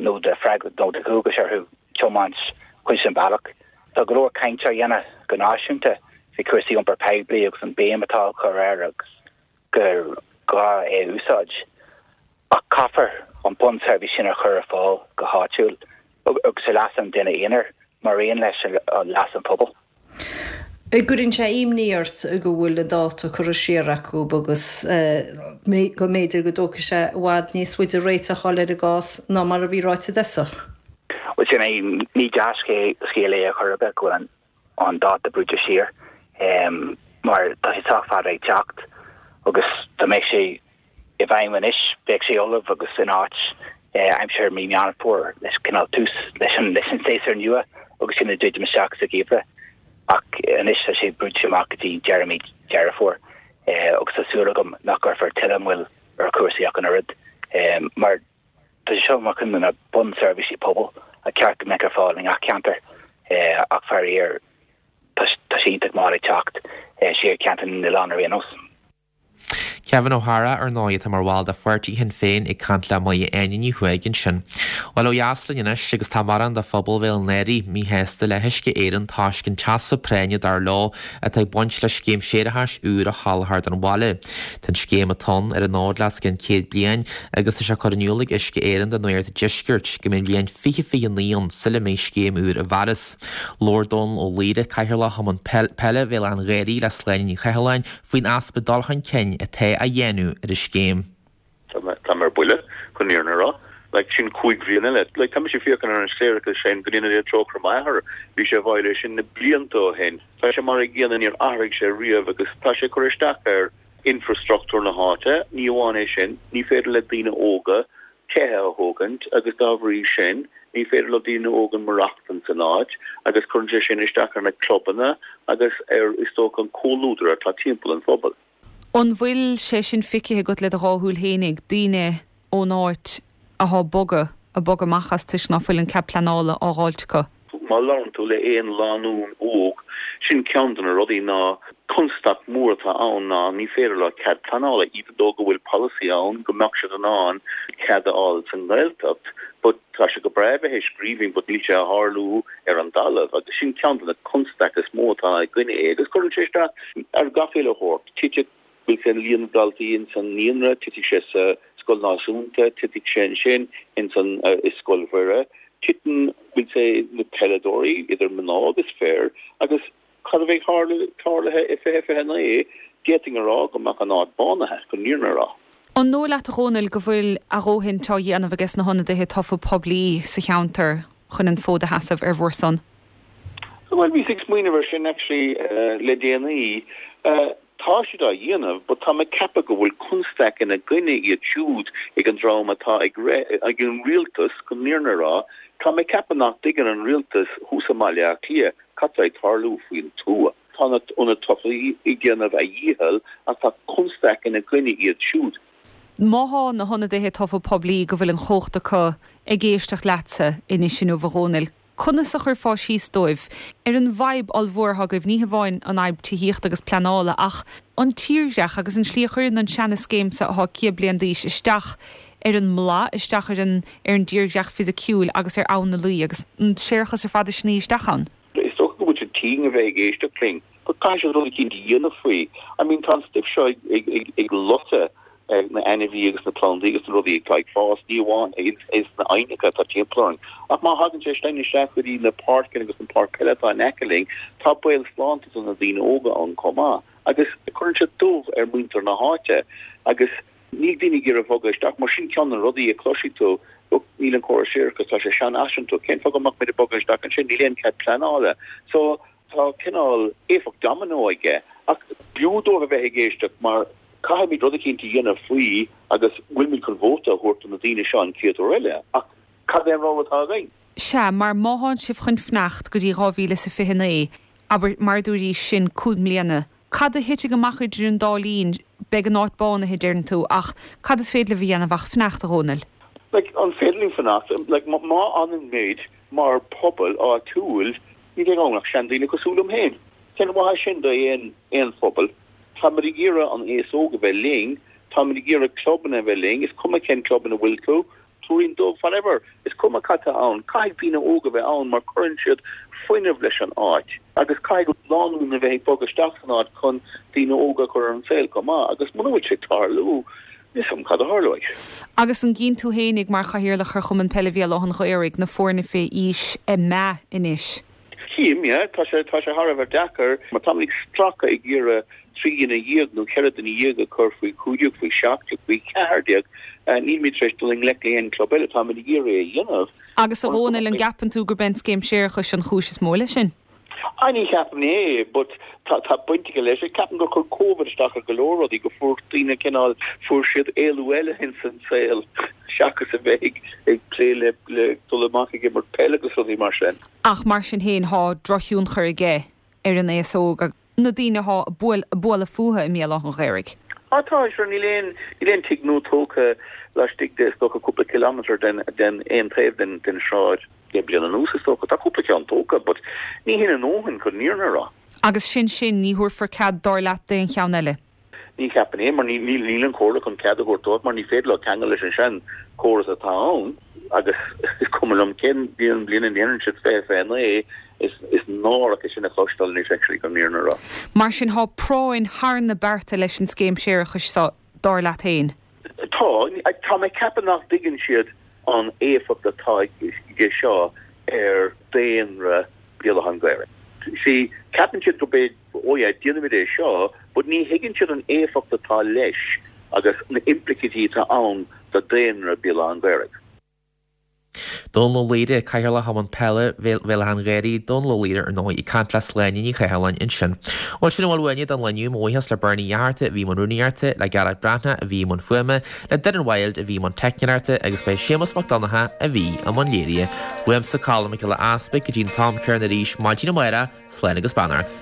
nó de nó de dhualgas orthu tiomáint cuid den bhealach. Tá go leor cainte á dhéanamh go náisiúnta faoi chúrsaí iompar poiblí agus an béim atá á cur air agus gur gá é a úsáid. Ach caithfear an bunseirbhís sin a chur ar fáil go háitiúil agus ar leas an duine aonair mar aon leis leas an phobail. An gcuireann sé imní ort go bhfuil an dáta curtha siar acu agus go mb'fhéidir go dtógfaidh sé i bhfad níos faide réiteach a fháil ar an gcás ná mar a bhí ráite i dtosach? Bhuel sin é, ní dea-scéal é ar chor ar bith go bhfuil an dáta brúite siar mar tá sé sách fada ag teacht agus dá mbeadh sé i bhfeidhm anois bheadh sé ullamh agus in áit aimsir mí Meán Fómhair leis cineál tús leis an leis an séasúr nua agus sinn ag druidim isteach sa gheimhreadh ach anois tá sé brúite amach go dtí deireadh mí Deireadh Fómhair agus tá súil agam nach gcuirfear tuilleadh moill ar chúrsaí ach an oiread mar tá sé seo mar chuid de na bunseirbhísí pobail a cheart go mbeadh ar fáil i ngach ceantar ach faraor tá sé iontach mall ag teacht siar ceantar na n-oileán ar aon nós. Kevin O'Hara, ar ndóigh, atá mar bhall de pháirtí Shinn Féin ag caint le Máire Áine Ní Chuaig ansin. Bhuel, ó dheas linn anois agus tá mórán de phobal Bhéal an Ghaorthaidh míshásta le hUisce Éireann toisc an t-easpa práinne, dar leo, atá ag baint le scéim séarachais úr a sholáthar don bhaile. Tá an scéim atá ann ar an fhód le os cionn céad bliain agus tá sé curtha in iúl ag Uisce Éireann do Nuacht an Deiscirt go mbeidh an bhliain fiche fiche naoi ann sula mbeidh scéim úr i bhfearas. Labhair Dónal Ó Laoire, Cathaoirleach Chumann Peile Bhéal Átha an Ghaorthaidh le Sláine Ní Chathalláin faoin easpa dul chun cinn atá á dhéanamh ar an scéim. Tá mé ar buile, chun an fhírinne a rá. Like, sin cúig bhliain eile. Like, tá mise ag féachaint ar an séarachas sin, go ndéana Dia trócaire ar m'athair, bhí sé i bhfeighil é sin na blianta ó shin. Tá sé mar an gcéanna, níor athraigh sé riamh agus tá sé ag cur isteach ar infreastruchtúr na háite. Ní amháin é sin, ní féidir le daoine óga tithe a thógaint agus dá bhrí sin ní féidir le daoine óga maireachtaint san áit agus cuireann sé sin isteach ar na clubanna agus ar, is dócha, an comhluadar atá timpeall an phobail. An bhfuil sé sin feicthe agat le do dhá shúil fhéinig, daoine ón áit athá ag bogadh, ag bogadh amach as toisc ná fuil an cead pleanála á dh'fháilt acu? Má labhrann tú le aon lánúin óg, sin ceann de na rudaí ná constaic mór atá ann ná ní féidir leo cead pleanála, even though go bhfuil polasaí ann go mbeadh siad in ann cead a fháil sa nGaeltacht but tá sé go breá bheith i scríbhinn but níl sé a tharlú ar an dtalamh agus sin ceann de na constaic is mó atá i gcoinne é agus cuireann sé isteach ar gach uile shórt. Titfidh bhfuil sé líon na ndaltaí ins an naíonra, titfidh sé sa scoil náisiúnta, titfidh sé ansin ins an i Scoil Mhuire, titeann bhfuil sé na peileadóirí idir mná agus fir agus cad a bheidh tarlaithe i fiche fiche naoi, d'fhéadfainn a rá go mbeadh an áit bánaithe, chun an fhírinne a rá. An dóigh leat a Dhónaill go bhfuil a dhóthain á dhéanamh ages na hionadaithe tofa poiblí sa cheantar chun an fód a sheasamh ar bhur son? Bhuel, bhíos ag smaoineamh ar sin actually le déanaí. Tá siad á dhéanamh but tá mé ag ceapadh go bhfuil constaic ina gcoinne iad siúd ag an dream atá ag ag an rialtas, chun an fhírinne a rá. Tá mé ag ceapadh nach dtuigeann an rialtas thuas i mBaile Átha Cliath cad tá ag tarlú faoin tuath. Tá na ionadaithe tofa ag déanamh a dhícheall ach tá constaic ina gcoinne iad siúd. Má thá na hionadaithe tofa poiblí go bhfuil an chumhacht acu ag éisteacht leatsa anois inniu a Dhónaill, Conas a chuirfeá síos dóibh ar an bhfadhb ollmhór atá agaibh, ní hamháin an fhadhb tithíochta agus pleanála ach an tírdhreach agus an tslí a chuireann an seana-scéim seo atá céad bliain d'aois isteach ar an mblath, isteach ar an ar an dtírdhreach fisiciúil agus ar Abhainn na Laoi agus an séarachas ar fad ag sní isteach ann? Is dócha go bhfuil siad tinn a bheith ag éisteacht linn, but caithfidh siad rud eicínt a dhéanamh faoi. I mean tá an stuif seo ag ag ag ag loiteadh na ainmhí agus na plandaí agus na rudaí atá ag fás, ní amháin ins na aibhneacha atá timpeall orainn, ach má thagann sé sin isteach go dtí na páirceanna agus na páirc peile atá in aice linn, tá baol sláinte do na daoine óga ann chomh maith agus cuireann sé dubh ar mhuintir na háite agus níl daoine ag iarraidh bogadh isteach mar sin ceann de na rudaí a chloisfidh tú, look, níl an córas séarachais, tá sé seanfhaiseanta, cén fáth go mbeadh muid ag bogadh isteach ansin, níl aon cead pleanála. So tá cineál éifeacht domino aige ach b'fhiú dóibh a bheith ag éisteacht mar Caithfimid rud eicínt a dhéanamh faoi agus bhfuilimid chun vóta a thabhairt do na daoine seo an chéad uair eile, ach cad é an rogha atá againn? Sea, mar má thánn sibh chun fanacht go dtí dhá mhíle is a fiche naoi, abair, mar a dúraís, sin cúig mbliana, cad a thitfidh amach idir an dá linn? Beidh an áit bánaithe, deireann tú, ach cad is féidir libh a dhéanamh ach fanacht, a Dhónaill? Like, an féidir linn fanacht? Like, má fhanann muid mar pobal áitiúil, ní bheidh ann ach seandaoine cosúil liom féin. Cén mhaith sin do aon aon phobal? Táimid ag iarraidh an aos óg a bheith linn, táimid ag iarraidh clubanna a bheith linn, is cuma cén club ina bhfuil tú, Tuairín Dubh, whatever, is cuma cad tá ann, caithfidh daoine óga a bheith ann mar cuireann siad fuinneamh leis an áit agus caithfidh lánúin a bheith ag bogadh isteach san áit chun daoine óga a chur ar an saol chomh maith agus muna bhfuil sé ag tarlú, níl 's agam cad a tharlóidh. Agus an gcíonn tú fhéinig mar chathaoirleach ar Chumann Peile Bhéal Átha an Ghaorthaidh na foirne fé aois ag meath anois? Tchím, yeah. Tá sé, tá sé thar a bheith deacair mar táimid ag stracadh ag iarraidh trí dhuine dhéag nó ceithre duine dhéag a chur faoi chúig déag, faoi seacht déag, faoi cheathair déag. Nílimid tar éis dul i ngleic le aon club eile. Táimid ag iarraidh é a dhéanamh. Agus a Dhónaill, an gceapann tú gurb é an scéim séarachais an chúis is mó leis sin? Ah, ní cheapaim é, but tá, tá baint aige leis. Ceapaim gur chuir Covid isteach ar go leor rudaí, go fuair daoine cineál, fuair siad éalú eile ins an saol seachas a bheith ag, ag plé le, le dul amach ag imirt peil agus rudaí mar sin. Ach mar sin féin, thá drochthionchar aige ar an aos óg agus na daoine athá ag bualadh fúthu i mBéal Átha an Ghaorthaidh. Ah tá, sure, níl aon, níl aon tigh nua tógtha laistigh de, is dócha, cúpla kilometre den, den aon taobh den, den sráid. Deich bliana anuas, is dócha. Tá cúpla ceann tógtha, but ní hin a ndóthain chun an fhírinne a rá. Agus sin sin, ní thabharfar cead, dar leat, d'aon cheann eile? Ní cheapaim é, mar níl níl an chomhairle chun cead a thabhairt dóibh, mar ní féidir leo ceangal leis an sean chóras atá ann, agus is cuma liom cén bliain a ndéanann siad fiche fiche naoi, is is náireach é sin a chloisteáil anois actually chun an fhírinne a rá. Mar sin, thá práinn thar na bearta leis an scéim séarachais seo, dar leat féin? Tá. Tá mé ag ceapadh nach dtuigeann siad an éifeacht atá aige seo ar daonra Bhéal Átha an Ghaorthaidh. See, ceapann siad gurb é, oh yeah, déanfaimid é seo, but ní thuigeann siad an éifeacht atá leis agus na implications atá ann do daonra Bhéal Átha an Ghaorthaidh. Dónal Ó Laoire, Cathaoirleach Chumann Peile Bhéal Átha an Ghaorthaidh, Dónal Ó Laoire, ar ndóigh, ag caint le Sláine Ní Chathalláin ansin. Bhuel, sin a bhfuil uainne don lá inniu. Mo bhuíochas le Bernie Fhatharta a bhí i mbun rúnaíochta, le Gearóid Breathnach a bhí i mbun fuaime, le Doireann Wilde a bhí i mbun teicneoireachta agus b'é Séamus Mac Donncha a bhí i mbun léirithe. Uaimse Colm Mac Giolla Easpaig go dtí an t-am céanna arís maidin amárach, slán agus beannacht.